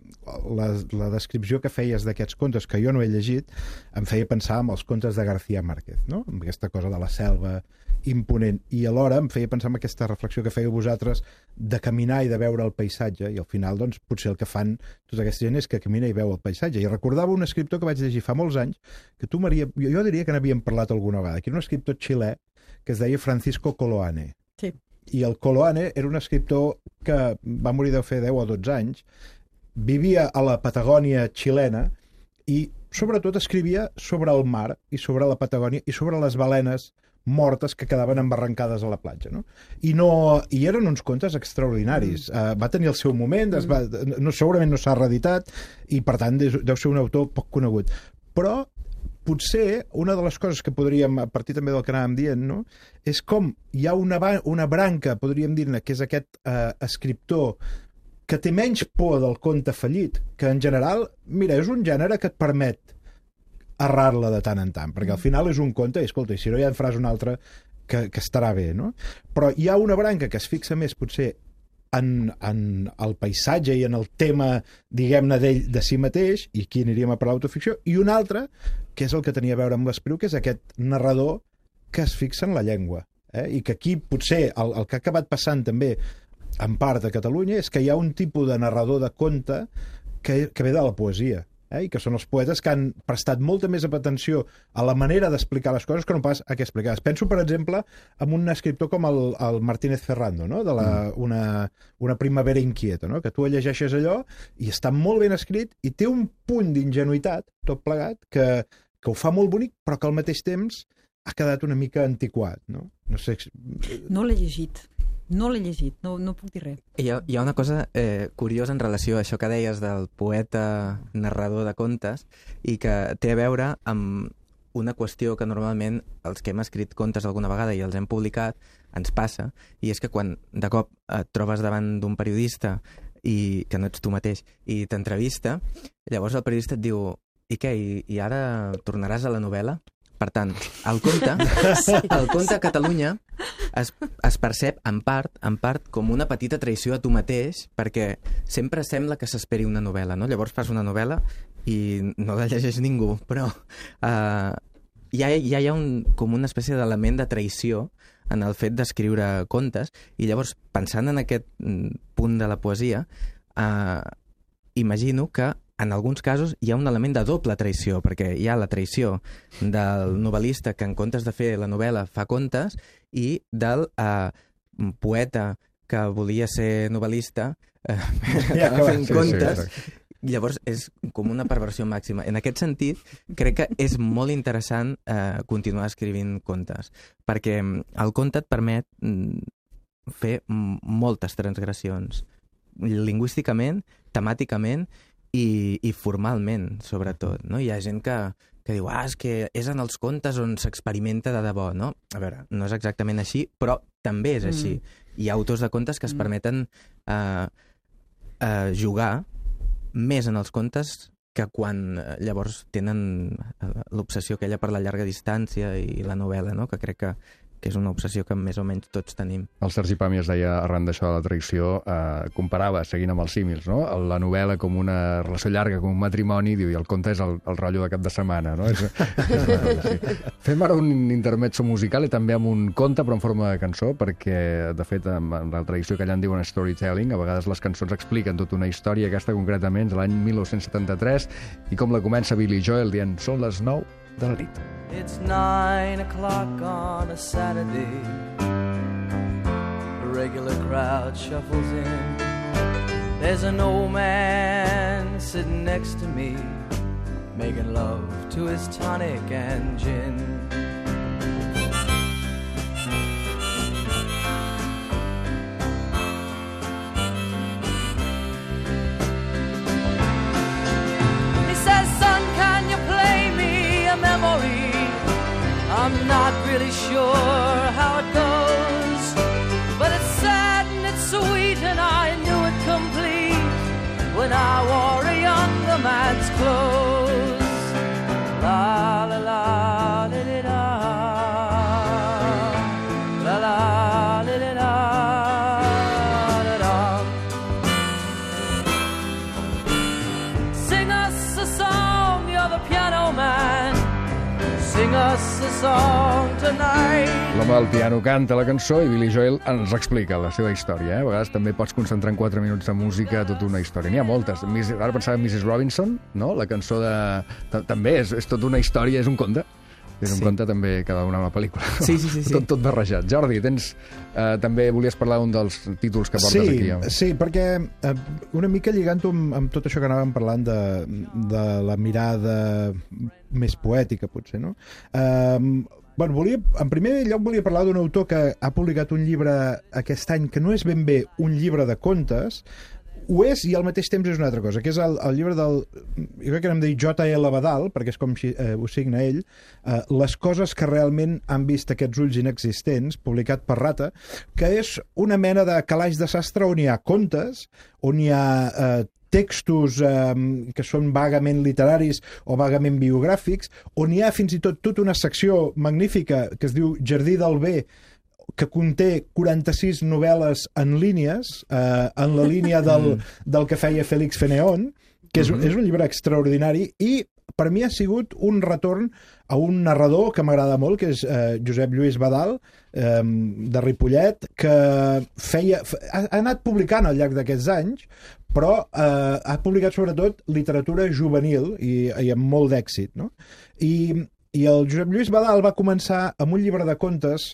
S6: la, la descripció que feies d'aquests contes, que jo no he llegit, em feia pensar en els contes de García Márquez, no? Amb aquesta cosa de la selva imponent, i alhora em feia pensar en aquesta reflexió que fèieu vosaltres de caminar i de veure el paisatge, i al final doncs potser el que fan tota aquesta gent és que camina i veu el paisatge. I recordava un escriptor que vaig llegir fa molts anys, que tu, Maria, jo, jo diria que n'havíem parlat alguna vegada, que era un escriptor xilè que es deia Francisco Coloane.
S7: Sí.
S6: I el Coloane era un escriptor que va morir deu fer deu o dotze anys, vivia a la Patagònia xilena i sobretot escrivia sobre el mar i sobre la Patagònia i sobre les balenes mortes que quedaven embarrancades a la platja, no? I, no, i eren uns contes extraordinaris. Mm. Uh, va tenir el seu moment, es va, no, segurament no s'ha reeditat, i per tant deu ser un autor poc conegut. Però potser una de les coses que podríem, a partir també del que anàvem dient, no? És com hi ha una, una branca, podríem dir-ne, que és aquest uh, escriptor que té menys por del conte fallit, que en general, mira, és un gènere que et permet errar-la de tant en tant, perquè al final és un conte i, escolta, i si no ja en faràs un altre que, que estarà bé, no? Però hi ha una branca que es fixa més, potser, en, en el paisatge i en el tema, diguem-ne, d'ell, de si mateix, i aquí aniríem a per l'autoficció, i una altra, que és el que tenia a veure amb l'Espriu, que és aquest narrador que es fixa en la llengua. Eh? I que aquí, potser, el, el que ha acabat passant també, en part a Catalunya, és que hi ha un tipus de narrador de conte que, que ve de la poesia. Eh? I que són els poetes que han prestat molta més atenció a la manera d'explicar les coses que no pas a què explicar-les. Penso, per exemple, en un escriptor com el, el Martínez Ferrando, no? De la, mm. una, una primavera inquieta, no? Que tu llegeixes allò i està molt ben escrit i té un punt d'ingenuïtat, tot plegat, que, que ho fa molt bonic, però que al mateix temps ha quedat una mica antiquat, no? No sé...
S7: No l'he llegit. No l'he llegit, no, no puc dir res.
S5: Hi ha, hi ha una cosa eh, curiosa en relació a això que deies del poeta narrador de contes i que té a veure amb una qüestió que normalment els que hem escrit contes alguna vegada i els hem publicat ens passa, i és que quan de cop et trobes davant d'un periodista i que no ets tu mateix i t'entrevista, llavors el periodista et diu i què, i, i ara tornaràs a la novel·la? Per tant, el conte, el conte a Catalunya es, es percep en part, en part com una petita traïció a tu mateix, perquè sempre sembla que s'esperi una novel·la, no? Llavors fas una novel·la i no la llegeix ningú, però uh, ja, ja hi ha un, com una espècie d'element de traïció en el fet d'escriure contes, i llavors, pensant en aquest punt de la poesia, uh, imagino que en alguns casos hi ha un element de doble traïció, perquè hi ha la traïció del novel·lista que en comptes de fer la novel·la fa contes, i del eh, poeta que volia ser novel·lista eh,
S6: ja,
S5: acaba fent
S6: sí,
S5: contes.
S6: sí,
S5: Llavors és com una perversió màxima. En aquest sentit, crec que és molt interessant eh, continuar escrivint contes, perquè el conte et permet mm, fer moltes transgressions, lingüísticament, temàticament, I, i formalment, sobretot, no? Hi ha gent que, que diu, ah, és que és en els contes on s'experimenta de debò, no? A veure, no és exactament així, però també és així. Mm. Hi ha autors de contes que es permeten eh, eh, jugar més en els contes que quan eh, llavors tenen eh, l'obsessió aquella per la llarga distància i la novel·la, no? Que crec que que és una obsessió que més o menys tots tenim.
S1: El Sergi Pàmies deia, arran d'això de la traïció, eh, comparava, seguint amb els símils, no? La novel·la com una relació llarga, com un matrimoni, diu, i el conte és el, el rotllo de cap de setmana, no? És, és una cosa, sí. Fem ara un intermezzo musical i també amb un conte, però en forma de cançó, perquè, de fet, amb la tradició que allà en diuen storytelling, a vegades les cançons expliquen tota una història, aquesta concretament, de l'any mil nou-cents setanta-tres, i com la comença Billy Joel dient, són les nou de la nit.
S8: It's nine o'clock on a Saturday. A regular crowd shuffles in. There's an old man sitting next to me, making love to his tonic and gin. He says, son, can you play me a memory? I'm not really sure how it goes, but it's sad and it's sweet, and I knew it complete when I wore a younger man's clothes. La la la li li la, la la li li la, la la. Sing us a song, you're the piano man. Sing us a song tonight.
S1: L'home del piano canta la cançó i Billy Joel ens explica la seva història. Eh? A vegades també pots concentrar en quatre minuts de música tota una història. N'hi ha moltes. Ara pensava en missus Robinson, no? La cançó de... També és, és tota una història, és un conte. És un sí. conte també que va donar una pel·lícula.
S5: Sí, sí, sí. sí.
S1: Tot, tot barrejat. Jordi, tens, eh, també volies parlar d'un dels títols que portes
S6: sí,
S1: aquí. Eh?
S6: Sí, perquè eh, una mica lligant-ho amb, amb tot això que anàvem parlant de, de la mirada més poètica, potser, no? Eh, bueno, volia, en primer lloc volia parlar d'un autor que ha publicat un llibre aquest any que no és ben bé un llibre de contes, ho és i al mateix temps és una altra cosa, que és el, el llibre del, jo crec que n'hem de dir J L Badal, perquè és com si, eh, ho signa ell, eh, Les coses que realment han vist aquests ulls inexistents, publicat per Rata, que és una mena de calaix de sastre on hi ha contes, on hi ha eh, textos eh, que són vagament literaris o vagament biogràfics, on hi ha fins i tot tota una secció magnífica que es diu Jardí del Bé, que conté quaranta-sis novel·les en línies, eh, en la línia del, del que feia Félix Fénéon, que és, és un llibre extraordinari, i per mi ha sigut un retorn a un narrador que m'agrada molt, que és eh, Josep Lluís Badal, eh, de Ripollet, que feia, ha, ha anat publicant al llarg d'aquests anys, però eh, ha publicat sobretot literatura juvenil i, i amb molt d'èxit, no? I, I el Josep Lluís Badal va començar amb un llibre de contes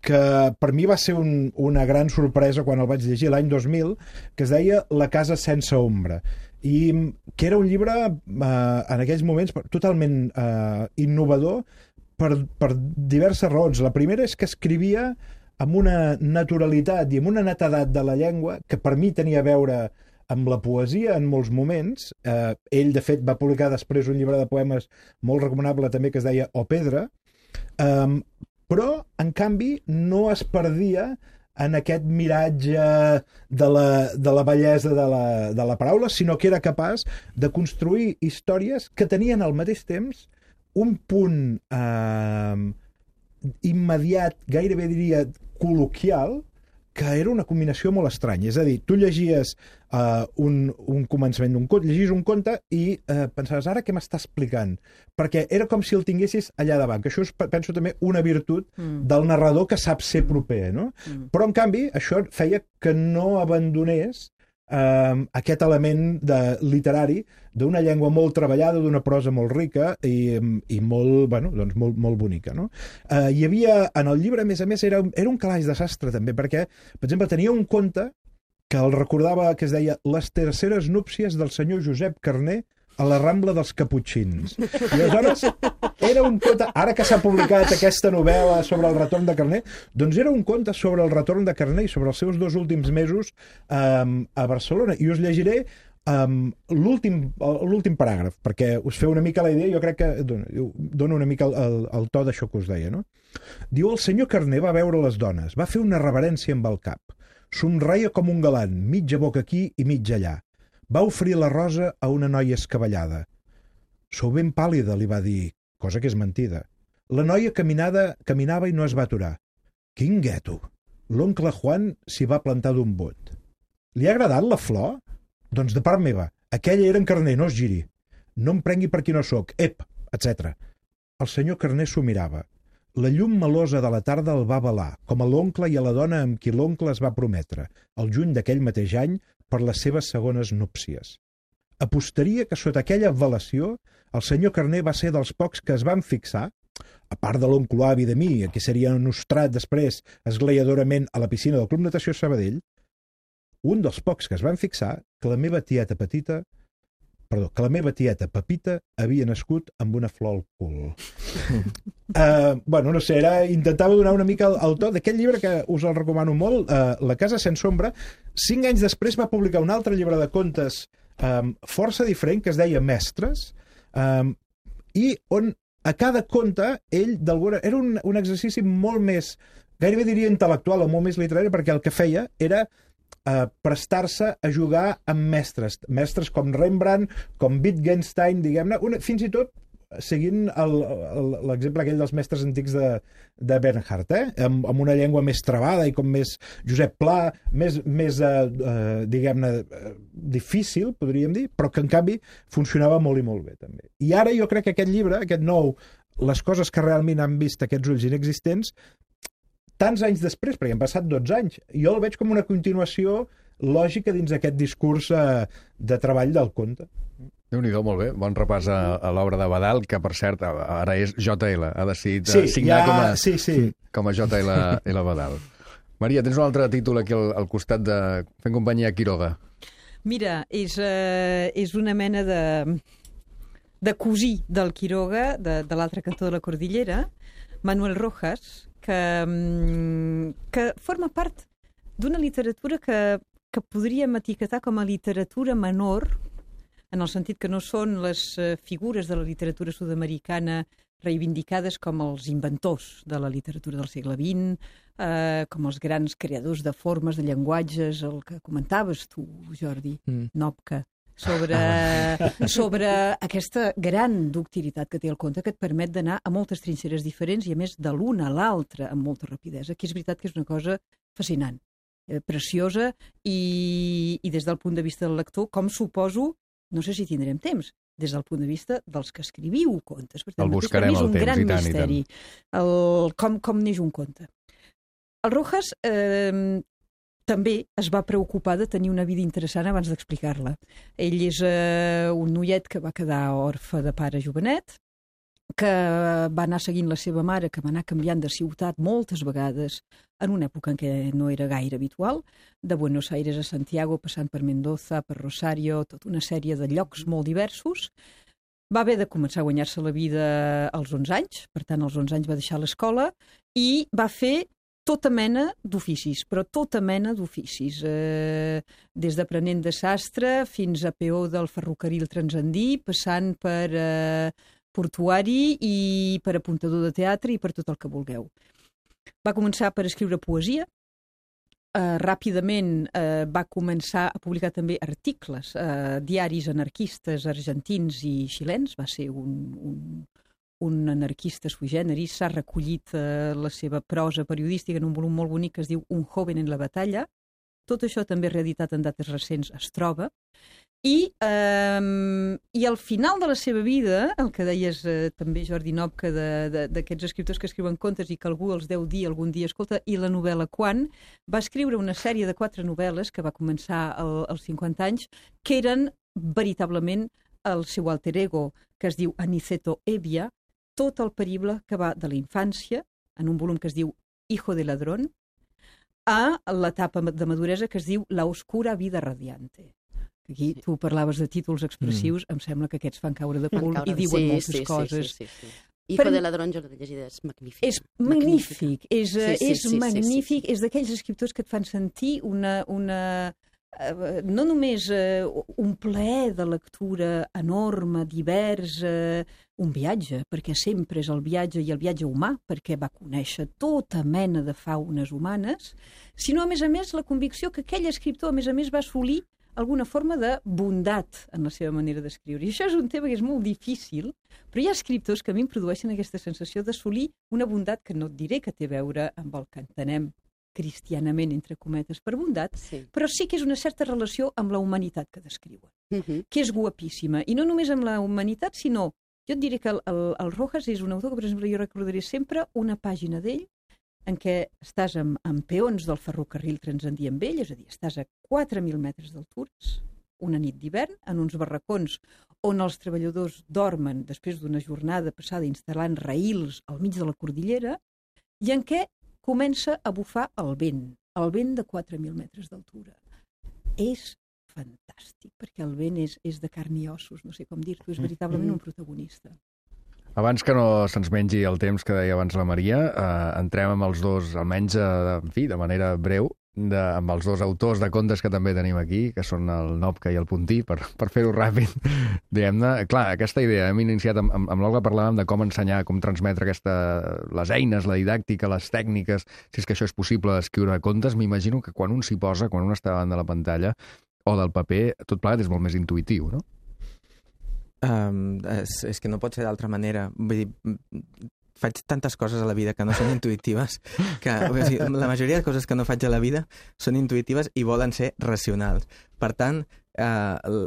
S6: que per mi va ser un, una gran sorpresa quan el vaig llegir l'any dos mil, que es deia La casa sense ombra, i que era un llibre eh, en aquells moments totalment eh, innovador per, per diverses raons. La primera és que escrivia amb una naturalitat i amb una netedat de la llengua que per mi tenia a veure amb la poesia en molts moments. Eh, ell, de fet, va publicar després un llibre de poemes molt recomanable també que es deia O Pedra, eh, però, en canvi, no es perdia en aquest miratge de la, de la bellesa de la, de la paraula, sinó que era capaç de construir històries que tenien al mateix temps un punt eh, immediat, gairebé diria col·loquial, que era una combinació molt estranya. És a dir, tu llegies uh, un, un començament d'un conte, llegies un conte i uh, pensaves, ara què m'està explicant? Perquè era com si el tinguessis allà davant, que això és, penso, també una virtut mm. del narrador que sap ser proper, no? Mm. Però, en canvi, això feia que no abandonés Uh, aquest element de, literari d'una llengua molt treballada, d'una prosa molt rica i, i molt, bueno, doncs molt, molt bonica, no? Uh, hi havia, en el llibre, a més a més, era, era un calaix de sastre, també, perquè, per exemple, tenia un conte que el recordava, que es deia Les terceres núpcies del senyor Josep Carner a la Rambla dels Caputxins. I aleshores era un conte, ara que s'ha publicat aquesta novel·la sobre el retorn de Carner, doncs era un conte sobre el retorn de Carner i sobre els seus dos últims mesos um, a Barcelona. I us llegiré um, l'últim paràgraf, perquè us feu una mica la idea, jo crec que dona una mica el, el, el to d'això que us deia, no? Diu, el senyor Carner va veure les dones, va fer una reverència amb el cap, somreia com un galant, mitja boca aquí i mitja allà. Va oferir la rosa a una noia escabellada. Sou ben pàl·lida, li va dir, cosa que és mentida. La noia caminada, caminava i no es va aturar. Quin gueto! L'oncle Juan s'hi va plantar d'un bot. Li ha agradat la flor? Doncs de part meva, aquella era en Carner, no es giri. No em prengui per qui no sóc, ep, etcètera. El senyor Carner s'ho mirava. La llum melosa de la tarda el va avalar, com a l'oncle i a la dona amb qui l'oncle es va prometre, el juny d'aquell mateix any, per les seves segones núpcies. Apostaria que sota aquella avalació el senyor Carner va ser dels pocs que es van fixar, a part de l'oncle avi de mi, a qui seria nostrat després esglaiadorament a la piscina del Club Natació Sabadell, un dels pocs que es van fixar que la meva tieta petita, perdó, que la meva tieta Pepita havia nascut amb una flor al cul. uh, bueno, no sé, era, intentava donar una mica el, el to d'aquest llibre que us el recomano molt, uh, La casa sense ombra. Cinc anys després va publicar un altre llibre de contes um, força diferent que es deia Mestres, um, i on a cada conte ell d'alguna... era un, un exercici molt més, gairebé diria intel·lectual o molt més literari, perquè el que feia era Uh, prestar-se a jugar amb mestres, mestres com Rembrandt, com Wittgenstein, diguem-ne, una, fins i tot seguint l'exemple aquell dels mestres antics de, de Bernhardt, eh? amb, amb una llengua més travada i com més Josep Pla, més, més uh, uh, diguem-ne, uh, difícil, podríem dir, però que en canvi funcionava molt i molt bé també. I ara jo crec que aquest llibre, aquest nou, Les coses que realment han vist aquests ulls inexistents, tants anys després, perquè han passat dotze anys, jo el veig com una continuació lògica dins aquest discurs eh, de treball del conte.
S1: Déu-n'hi-do, molt bé. Bon repàs a, a l'obra de Badal, que, per cert, ara és J L. Ha decidit
S6: sí,
S1: signar
S6: ja,
S1: com, a,
S6: sí, sí.
S1: com a J L Badal. Maria, tens un altre títol aquí al, al costat de Fent companyia a Quiroga.
S7: Mira, és, uh, és una mena de, de cosí del Quiroga, de, de l'altre cantó de la Cordillera, Manuel Rojas, que, que forma part d'una literatura que, que podríem etiquetar com a literatura menor, en el sentit que no són les figures de la literatura sud-americana reivindicades com els inventors de la literatura del segle vint, eh, com els grans creadors de formes, de llenguatges, el que comentaves tu, Jordi, mm. Nopka, sobre, sobre aquesta gran ductilitat que té el conte, que et permet d'anar a moltes trinxeres diferents i, a més, de l'una a l'altra amb molta rapidesa, que és veritat que és una cosa fascinant, eh, preciosa, i, i des del punt de vista del lector, com suposo, no sé si tindrem temps, des del punt de vista dels que escriviu contes. Per tant,
S1: el buscarem
S7: és un
S1: el temps,
S7: gran
S1: i tant,
S7: misteri,
S1: i tant.
S7: El, com, com neix un conte. El Rojas eh, també es va preocupar de tenir una vida interessant abans d'explicar-la. Ell és eh, un noiet que va quedar orfe de pare jovenet, que va anar seguint la seva mare, que va anar canviant de ciutat moltes vegades, en una època en què no era gaire habitual, de Buenos Aires a Santiago, passant per Mendoza, per Rosario, tota una sèrie de llocs molt diversos. Va haver de començar a guanyar-se la vida als onze anys, per tant, als onze anys va deixar l'escola, i va fer tota mena d'oficis, però tota mena d'oficis. Eh, des d'aprenent de sastre fins a peó del ferrocarril transandí, passant per eh, portuari i per apuntador de teatre i per tot el que vulgueu. Va començar per escriure poesia, eh, ràpidament eh, va començar a publicar també articles, eh, diaris anarquistes argentins i xilens, va ser un... un un anarquista sui generis, s'ha recollit eh, la seva prosa periodística en un volum molt bonic que es diu Un joven en la batalla. Tot això també reeditat en dates recents es troba. I, eh, i al final de la seva vida, el que deies eh, també, Jordi Nopka, d'aquests escriptors que escriuen contes i que algú els deu dir algun dia, escolta, i la novel·la quan? Va escriure una sèrie de quatre novel·les que va començar al, als cinquanta anys, que eren veritablement el seu alter ego, que es diu Aniceto Evia, tot el perible que va de la infància, en un volum que es diu Hijo de ladrón, a l'etapa de maduresa que es diu La oscura vida radiante. Aquí tu parlaves de títols expressius, mm. em sembla que aquests fan caure de cul i diuen
S4: sí,
S7: moltes
S4: sí,
S7: coses.
S4: Sí, sí, sí, sí. Hijo per... de ladrón, jo l'he llegida, és magnífic.
S7: És magnífic, és,
S4: sí, sí,
S7: és
S4: sí,
S7: magnífic,
S4: sí, sí, sí.
S7: És d'aquells escriptors que et fan sentir una... una Uh, no només uh, un plaer de lectura enorme, divers, uh, un viatge, perquè sempre és el viatge i el viatge humà, perquè va conèixer tota mena de faunes humanes, sinó, a més a més, la convicció que aquell escriptor, a més a més, va assolir alguna forma de bondat en la seva manera d'escriure. I això és un tema que és molt difícil, però hi ha escriptors que a mi em produeixen aquesta sensació d'assolir una bondat que no et diré que té a veure amb el que entenem cristianament, entre cometes, per bondat, sí. Però sí que és una certa relació amb la humanitat que descriuen, uh-huh. que és guapíssima. I no només amb la humanitat, sinó, jo et diré que el, el, el Rojas és un autor que, per exemple, jo recordaré sempre una pàgina d'ell en què estàs amb, amb peons del ferrocarril transandí amb ell, és a dir, estàs a quatre mil metres d'altures, una nit d'hivern, en uns barracons on els treballadors dormen després d'una jornada passada instal·lant raïls al mig de la cordillera, i en què comença a bufar el vent, el vent de quatre mil metres d'altura. És fantàstic, perquè el vent és, és de carn i ossos, no sé com dir-t'ho, és veritablement un protagonista.
S1: Abans que no se'ns mengi el temps que deia abans la Maria, eh, entrem amb els dos, almenys eh, en fi, de manera breu, de, amb els dos autors de contes que també tenim aquí, que són el Nopka i el Puntí, per, per fer-ho ràpid, diguem-ne. Clar, aquesta idea, hem iniciat amb, amb, amb l'Olga, parlàvem de com ensenyar, com transmetre aquesta, les eines, la didàctica, les tècniques, si és que això és possible d'escriure contes. M'imagino que quan un s'hi posa, quan un està davant de la pantalla o del paper, tot plegat és molt més intuïtiu, no?
S5: Um, és, és que no pot ser d'altra manera. Vull dir, faig tantes coses a la vida que no són intuïtives que o sigui, la majoria de coses que no faig a la vida són intuïtives i volen ser racionals. Per tant, eh,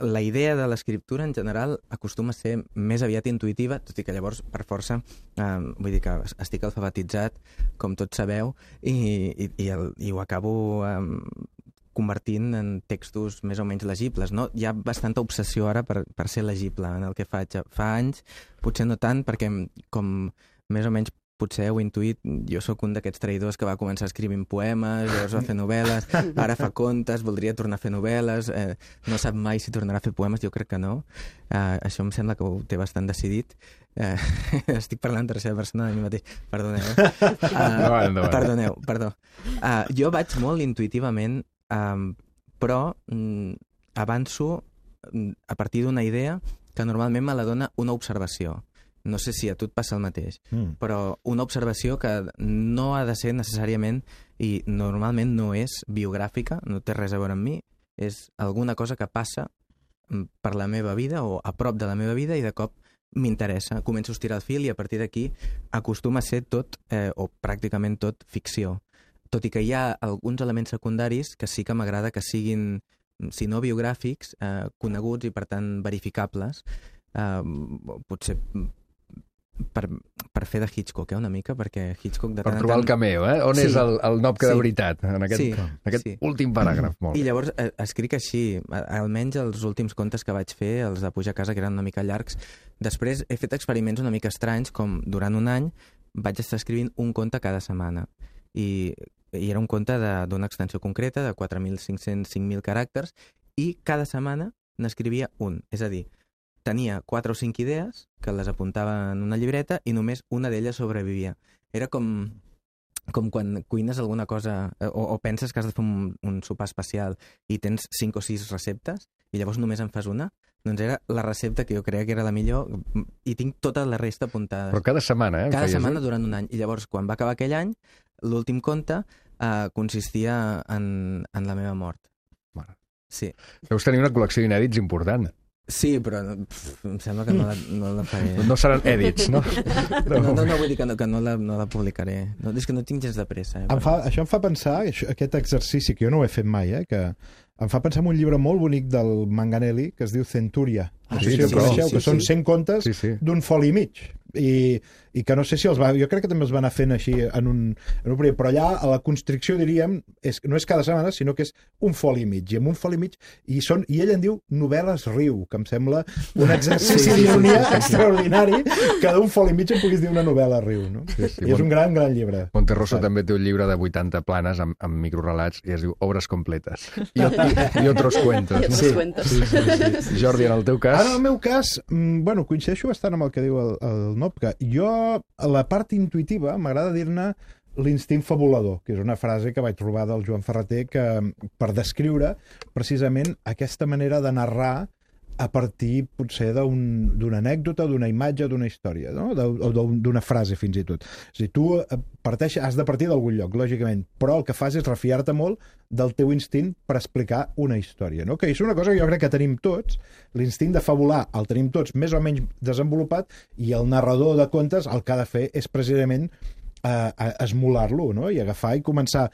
S5: la idea de l'escriptura en general acostuma a ser més aviat intuïtiva, tot i que llavors, per força, eh, vull dir que estic alfabetitzat, com tots sabeu, i, i, i, el, i ho acabo eh, convertint en textos més o menys legibles, no? Hi ha bastanta obsessió ara per, per ser legible en el que faig. Fa anys, potser no tant, perquè com més o menys potser heu intuït, jo sóc un d'aquests traïdors que va començar escrivint poemes, llavors va fer novel·les, ara fa contes, voldria tornar a fer novel·les, eh, no sap mai si tornarà a fer poemes, jo crec que no. Eh, això em sembla que ho té bastant decidit. Eh, estic parlant en tercera persona de mi mateix, perdoneu. Uh, perdoneu, perdó. Uh, jo vaig molt intuïtivament, um, però um, avanço um, a partir d'una idea que normalment me la dona una observació. No sé si a tu et passa el mateix, mm. però una observació que no ha de ser necessàriament, i normalment no és biogràfica, no té res a veure amb mi, és alguna cosa que passa per la meva vida o a prop de la meva vida i de cop m'interessa, començo a estirar el fil i a partir d'aquí acostuma a ser tot, eh, o pràcticament tot, ficció. Tot i que hi ha alguns elements secundaris que sí que m'agrada que siguin, si no biogràfics, eh, coneguts i per tant verificables, eh, potser per, per fer de Hitchcock, eh, una mica, perquè Hitchcock... De
S1: per
S5: tant
S1: trobar
S5: tant...
S1: el cameo, eh? On sí. és el, el Nopka
S5: sí.
S1: de veritat, en aquest,
S5: sí.
S1: en aquest
S5: sí.
S1: últim paràgraf. Molt
S5: I
S1: bé.
S5: llavors eh, escric així, almenys els últims contes que vaig fer, els de Pujar a casa, que eren una mica llargs. Després he fet experiments una mica estranys, com durant un any vaig estar escrivint un conte cada setmana. I, i era un conte d'una extensió concreta, de quatre mil cinc-cents cinc mil caràcters, i cada setmana n'escrivia un. És a dir, tenia quatre o cinc idees que les apuntava en una llibreta i només una d'elles sobrevivia. Era com com quan cuines alguna cosa o, o penses que has de fer un, un sopar especial i tens cinc o sis receptes i llavors només en fas una, doncs era la recepta que jo creia que era la millor i tinc tota la resta apuntada.
S1: Però cada setmana, eh?
S5: Cada
S1: feies,
S5: setmana
S1: eh?
S5: durant un any. I llavors, quan va acabar aquell any, l'últim conte eh, consistia en, en la meva mort.
S1: Mare.
S5: Sí.
S1: Deus tenir una col·lecció d'inèdits important.
S5: Sí, però pff, em sembla que no la, no la faré.
S1: No seran èdits, no?
S5: No, no, no vull dir que no, que no, la, no la publicaré. No, és que no tinc gens de pressa. Eh,
S6: Em fa, això em fa pensar, això, aquest exercici que jo no ho he fet mai, eh, que em fa pensar en un llibre molt bonic del Manganelli que es diu Centúria. No
S1: Ah,
S6: sé
S1: sí,
S6: si el
S1: sí,
S6: coneixeu,
S1: sí,
S6: que
S1: sí,
S6: són
S1: sí.
S6: cent contes
S1: Sí, sí.
S6: d'un foli i mig. I, i que no sé si els va... Jo crec que també els va anar fent així en un, en un període, però allà a la constricció, diríem, és, no és cada setmana, sinó que és un foli i mig. I amb un foli i mig, i, són, i ell en diu novel·les riu, que em sembla un exercici
S5: Sí.
S6: d'ironia extraordinari que d'un foli i mig em puguis dir una novel·la riu. No?
S1: Sí, sí.
S6: I és un gran, gran llibre.
S1: Monterroso
S6: Sí.
S1: també té un llibre de vuitanta planes amb, amb microrelats i es diu Obres completes. I, i, i otros cuentos.
S4: I
S1: No?
S4: otros cuentos.
S6: Sí, sí, sí.
S1: Jordi, en el teu cas...
S6: Ara, en el meu cas, mm, bueno, coincideixo bastant amb el que diu el, el Nopka. Jo, a la part intuïtiva, m'agrada dir-ne l'instint fabulador, que és una frase que vaig trobar del Joan Ferreter que, per descriure precisament aquesta manera de narrar a partir, potser, d'un- d'una anècdota, d'una imatge, d'una història, no? De- o d'un- d'una frase, fins i tot. És a dir, tu eh, parteix, has de partir d'algun lloc, lògicament, però el que fas és refiar-te molt del teu instint per explicar una història, no? Que és una cosa que jo crec que tenim tots, l'instint de fabular el tenim tots més o menys desenvolupat, i el narrador de contes el que ha de fer és precisament eh, esmolar-lo, no? I agafar i començar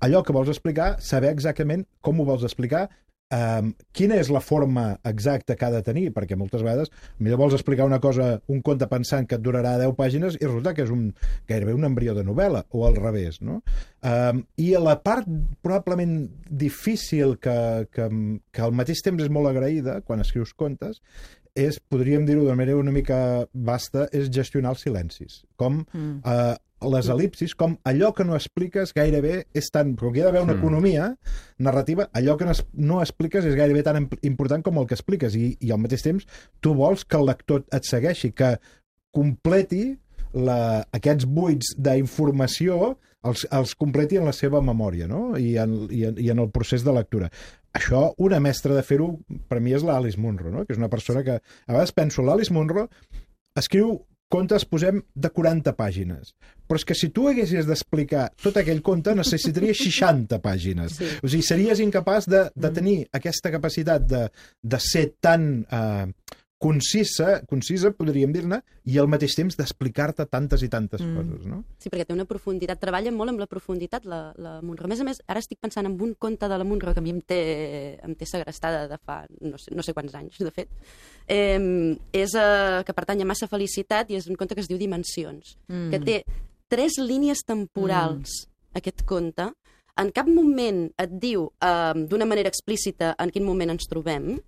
S6: allò que vols explicar, saber exactament com ho vols explicar, Um, quina és la forma exacta que ha de tenir, perquè moltes vegades millor vols explicar una cosa, un conte pensant que et durarà deu pàgines i resulta que és un, gairebé un embrió de novel·la, o al revés, no? Um, I la part probablement difícil que, que, que al mateix temps és molt agraïda quan escrius contes és, podríem dir-ho de manera una mica vasta, és gestionar els silencis. Com mm. eh, les el·lipsis, com allò que no expliques gairebé és tan... Com que hi ha d'haver una
S1: Mm.
S6: economia narrativa, allò que no es- no expliques és gairebé tan imp- important com el que expliques. I, i al mateix temps tu vols que el lector et segueixi, que completi la, aquests buits d'informació, els, els completi en la seva memòria, no? I, en, i, en, i en el procés de lectura. Això, una mestra de fer-ho, per mi és l'Alice Munro, no? Que és una persona que... A vegades penso, l'Alice Munro escriu contes, posem, de quaranta pàgines. Però és que si tu haguessis d'explicar tot aquell conte, necessitaria seixanta pàgines.
S4: Sí.
S6: O sigui, series incapaç de, de tenir aquesta capacitat de, de ser tan eh, concisa, concisa, podríem dir-ne, i al mateix temps d'explicar-te tantes i tantes
S7: Mm.
S6: coses, no?
S4: Sí, perquè té una profunditat, treballa molt amb la profunditat, la, la Munro. A més a més, ara estic pensant en un conte de la Munro que a mi em té, em té segrestada de fa no sé, no sé quants anys, de fet. Eh, és eh, que pertany a Massa Felicitat i és un conte que es diu Dimensions,
S7: Mm.
S4: que té tres línies temporals, mm. aquest conte. En cap moment et diu eh, d'una manera explícita en quin moment ens trobem,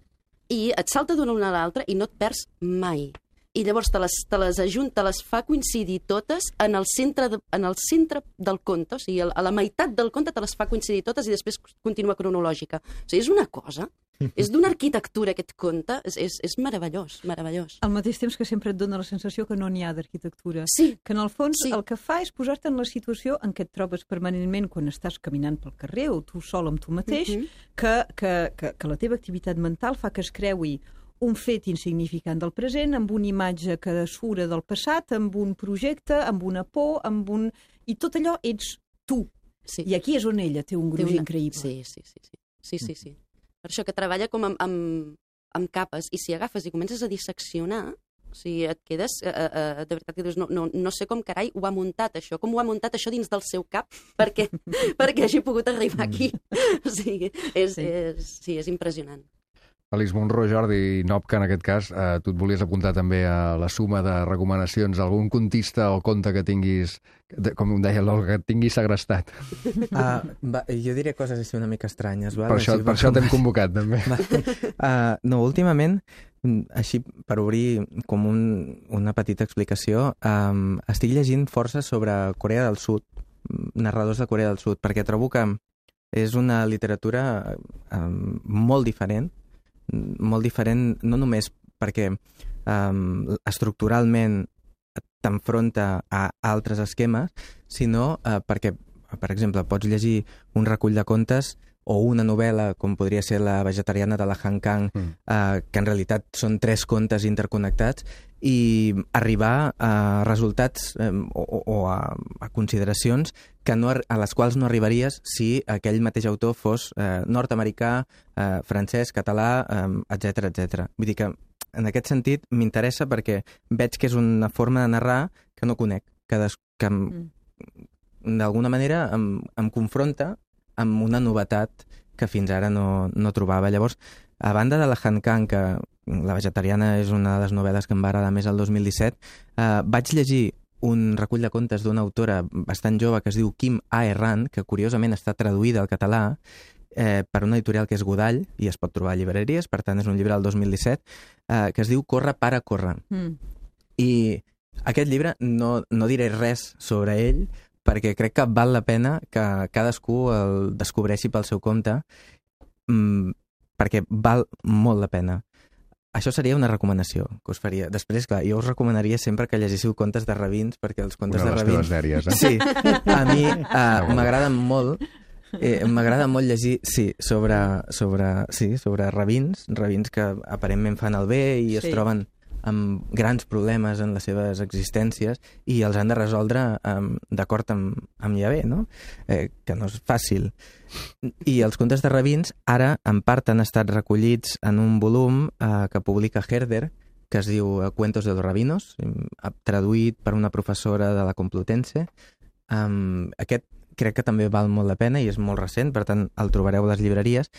S4: i et salta d'una a l'altra i no et perds mai. I llavors te les, te les ajunta, les fa coincidir totes en el centre, de, en el centre del conte, o sigui, a la meitat del conte te les fa coincidir totes i després continua cronològica. O sigui, és una cosa, és d'una arquitectura aquest conte, és, és, és meravellós, meravellós.
S7: Al mateix temps que sempre et dona la sensació que no n'hi ha d'arquitectura.
S4: Sí,
S7: Que en el fons
S4: Sí.
S7: el que fa és posar-te en la situació en què et trobes permanentment quan estàs caminant pel carrer o tu sol amb tu mateix,
S4: Mhm.
S7: que, que, que, que la teva activitat mental fa que es creui un fet insignificant del present, amb una imatge que sura del passat, amb un projecte, amb una por, amb un... I tot allò ets tu.
S4: sí.
S7: I aquí és on ella té un
S4: Té
S7: gruix
S4: una-
S7: increïble.
S4: Sí, sí, sí, sí. sí, sí, sí. Per això que treballa com amb, amb, amb capes, i si agafes i comences a disseccionar, o sigui, et quedes, eh, eh, de veritat que dius, no, no, no sé com carai ho ha muntat això, com ho ha muntat això dins del seu cap perquè, perquè hagi pogut arribar aquí. O sigui, és,
S7: Sí.
S4: és, sí, és impressionant.
S1: Alice Munro, Jordi Nopka, en aquest cas, eh, tu et volies apuntar també a la suma de recomanacions, algun contista o conte que tinguis, de, com em deia l'Olga, que et tinguis segrestat.
S5: Uh, va, jo diré coses així una mica estranyes. Val?
S1: Per això,
S5: Així,
S1: per això t'hem convocat, també.
S5: Uh, no, últimament, mm, així per obrir com un, una petita explicació, um, estic llegint força sobre Corea del Sud, mm, narradors de Corea del Sud, perquè trobo que és una literatura um, molt diferent, molt diferent no només perquè um, estructuralment t'enfronta a altres esquemes, sinó eh, perquè, per exemple, pots llegir un recull de contes o una novel·la, com podria ser La vegetariana de la Han Kang, mm. eh, que en realitat són tres contes interconnectats, i arribar a resultats eh, o, o a, a consideracions que no, a les quals no arribaries si aquell mateix autor fos eh, nord-americà, eh, francès, català, eh, etcètera, etcètera. Vull dir que, en aquest sentit, m'interessa perquè veig que és una forma de narrar que no conec, que, des, que mm. d'alguna manera em, em confronta amb una novetat que fins ara no, no trobava. Llavors, a banda de la Han Kang, que La vegetariana és una de les novel·les que em va agradar més el dos mil disset, eh, vaig llegir un recull de contes d'una autora bastant jove que es diu Kim Ae Ran, que curiosament està traduïda al català eh, per una editorial que és Godall i es pot trobar a llibreries, per tant és un llibre del dos mil disset, eh, que es diu Corre, para, corre. Mm. I aquest llibre no, no diré res sobre ell, perquè crec que val la pena que cadascú el descobreixi pel seu compte, mmm, perquè val molt la pena. Això seria una recomanació que us faria. Després, clar, jo us recomanaria sempre que llegéssiu contes de rabins, perquè els contes
S1: una
S5: de
S1: de
S5: rabins...
S1: Dèries, eh?
S5: Sí, a mi uh, m'agraden molt, eh, m'agrada molt llegir, sí, sobre, sobre, sí, sobre rabins, rabins que aparentment fan el bé i sí. es troben amb grans problemes en les seves existències i els han de resoldre um, d'acord amb, amb Yahvé, no? Eh, que no és fàcil. I els contes de rabins ara, en part, han estat recollits en un volum eh, que publica Herder, que es diu Cuentos de los Rabinos, traduït per una professora de la Complutense. Um, aquest crec que també val molt la pena i és molt recent, per tant, el trobareu a les llibreries.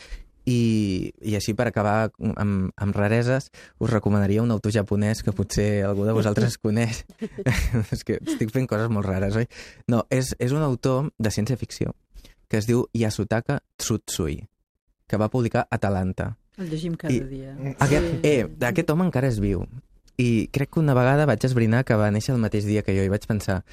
S5: I, i així, per acabar amb, amb rareses, us recomanaria un autor japonès que potser algú de vosaltres coneix. És que estic fent coses molt rares, oi? No, és, és un autor de ciència-ficció que es diu Yasutaka Tsutsui, que va publicar Atalanta.
S7: El llegim cada I dia.
S5: Aquest, sí. eh, aquest home encara és viu. I crec que una vegada vaig esbrinar que va néixer el mateix dia que jo i vaig pensar,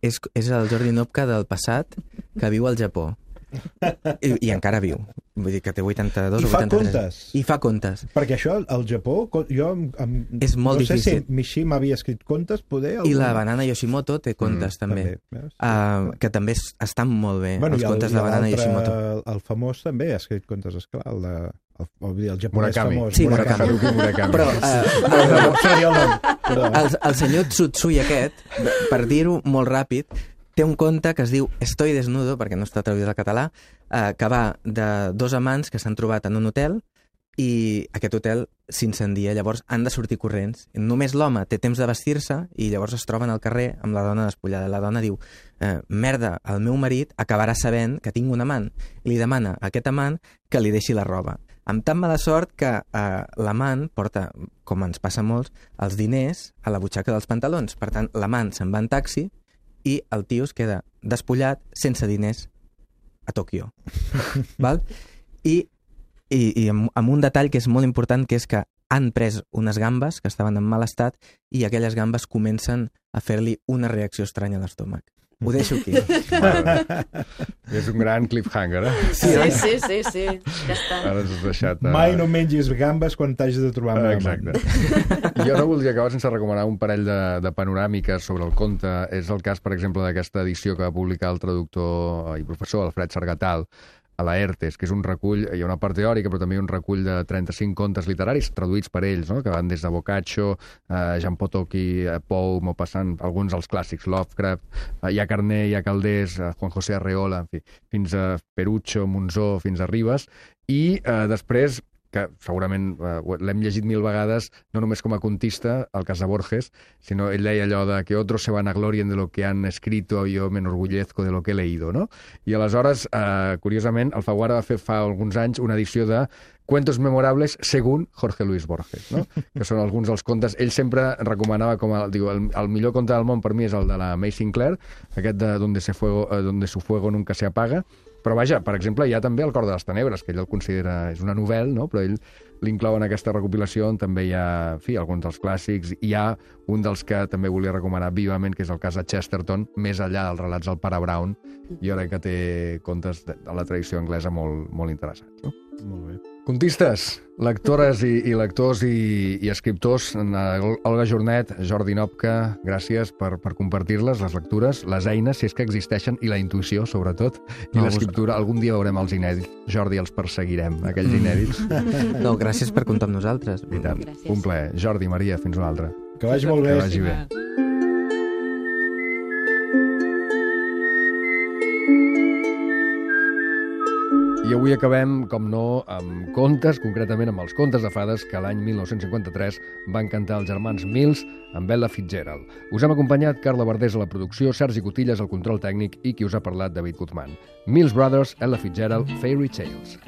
S5: és, és el Jordi Nopka del passat que viu al Japó. I, i encara viu. Vull dir que té vuitanta-dos
S6: I
S5: o vuitanta-tres.
S6: I fa contes.
S5: I fa contes.
S6: Perquè això, al Japó, jo amb,
S5: és molt
S6: no sé
S5: difícil.
S6: si Mishima havia escrit contes, poder...
S5: I la Banana Yoshimoto té contes, mm, també. també uh, que també estan molt bé, bueno, els contes el, de Banana Yoshimoto.
S6: El, el famós també ha escrit contes, esclar, el de... El, el, el japonès
S1: Murakami.
S6: famós.
S5: Sí, Murakami.
S6: Murakami.
S5: Murakami. Però uh, el, el, el senyor Tsutsui aquest, per dir-ho molt ràpid, té un conte que es diu Estoy desnudo, perquè no està traduït al català, eh, que va de dos amants que s'han trobat en un hotel i aquest hotel s'incendia, llavors han de sortir corrents. Només l'home té temps de vestir-se i llavors es troben al carrer amb la dona despullada. La dona diu, eh, merda, el meu marit acabarà sabent que tinc un amant. I li demana a aquest amant que li deixi la roba. Amb tan mala sort que eh, l'amant porta, com ens passa a molts, els diners a la butxaca dels pantalons. Per tant, l'amant se'n va en taxi i el tio es queda despullat, sense diners, a Tòquio. Val? I, i, i amb, amb un detall que és molt important, que és que han pres unes gambes que estaven en mal estat i aquelles gambes comencen a fer-li una reacció estranya a l'estómac. Ho deixo aquí.
S1: És un gran cliffhanger, eh?
S4: Sí, sí, sí, sí. Ja està.
S1: Ara ens has deixat... Uh...
S6: Mai no mengis gambes quan t'hagis de trobar amb
S1: Exacte. Jo no voldria acabar sense recomanar un parell de, de panoràmiques sobre el conte. És el cas, per exemple, d'aquesta edició que va publicar el traductor i professor Alfred Sargatal, a la ERTES, que és un recull, hi ha una part teòrica, però també un recull de trenta-cinc contes literaris traduïts per ells, no? Que van des de Boccaccio, eh, Jean Potocki, eh, Poe, Maupassant, alguns dels clàssics, Lovecraft, eh, hi ha Carné, hi ha Caldés, eh, Juan José Arreola, en fi, fins a Perucho, Monzó, fins a Ribes, i eh, després, que segurament eh, l'hem llegit mil vegades, no només com a contista, el cas de Borges, sinó ell deia allò de que otros se vanaglorien de lo que han escrito, yo me enorgullezco de lo que he leído, no? I aleshores, eh, curiosament, Alfaguara va fer fa alguns anys una edició de Cuentos memorables según Jorge Luis Borges, no? Que són alguns dels contes. Ell sempre recomanava com a, diu, el, el millor conte del món per mi és el de la May Sinclair, aquest de Donde, se fuego, eh, donde su fuego nunca se apaga. Però vaja, per exemple, hi ha també El cor de les tenebres, que ell el considera, és una novel·la, no? Però ell l'inclou en aquesta recopilació on també hi ha, en fi, alguns dels clàssics. Hi ha un dels que també volia recomanar vivament, que és el cas de Chesterton, més enllà dels relats del pare Brown, i ara que té contes de, de la tradició anglesa molt, molt interessants, no?
S6: Molt bé.
S1: Contistes, lectores i, i lectors i, i escriptors, Olga Jornet, Jordi Nopka, gràcies per, per compartir-les, les lectures, les eines, si és que existeixen, i la intuïció, sobretot, i
S5: No,
S1: l'escriptura. Algun dia veurem els inèdits. Jordi, els perseguirem, aquells inèdits.
S5: No, gràcies per comptar amb nosaltres.
S1: I tant.
S4: Gràcies.
S1: Un plaer. Jordi, Maria, fins una altra.
S6: Que vagi molt bé.
S1: Que vagi bé. I avui acabem, com no, amb contes, concretament amb els contes de fades que l'any mil nou-cents cinquanta-tres van cantar els germans Mills amb Ella Fitzgerald. Us hem acompanyat Carla Verdés a la producció, Sergi Cotillas al control tècnic i qui us ha parlat, David Guzmán. Mills Brothers, Ella Fitzgerald, Fairy Tales.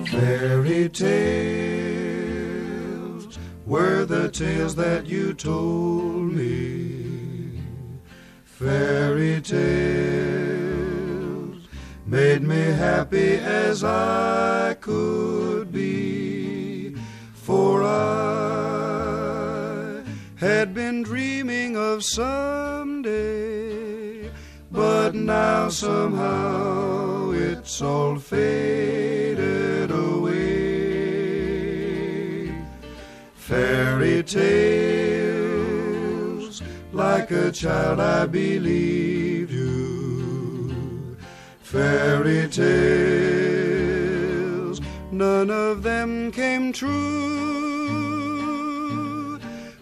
S9: Fairy tales were the tales that you told me. Fairy tales made me happy as I could be, for I had been dreaming of someday, but now somehow it's all faded away. Fairy tales, like a child I believed you. Fairy tales, none of them came true.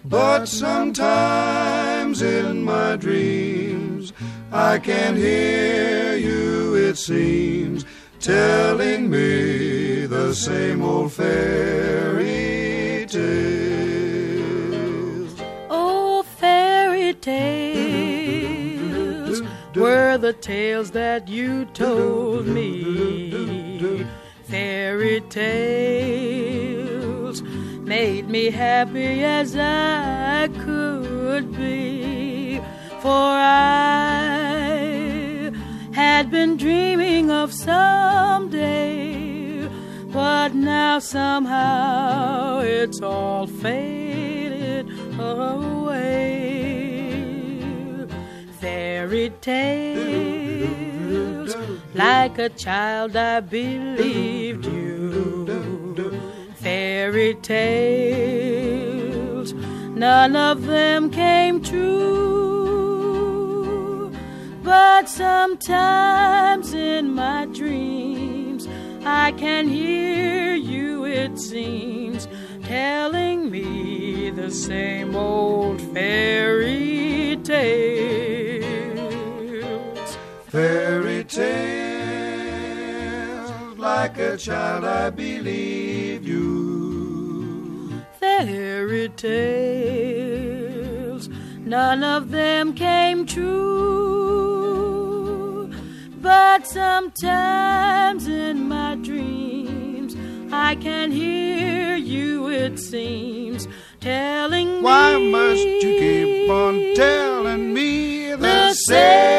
S9: But sometimes in my dreams I can hear you, it seems, telling me the same old fairy tales.
S8: Oh, fairy tales were the tales that you told me. Fairy tales made me happy as I could be, for I had been dreaming of someday, but now somehow it's all faded away. Fairy tales, like a child I believed you. Fairy tales, none of them came true. But sometimes in my dreams I can hear you, it seems, telling me the same old fairy tales.
S9: Fairy tales, like a child I believed you.
S8: Fairy tales, none of them came true. But sometimes in my dreams I can hear you, it seems, telling me.
S9: Why must you keep on telling me the
S8: the
S9: same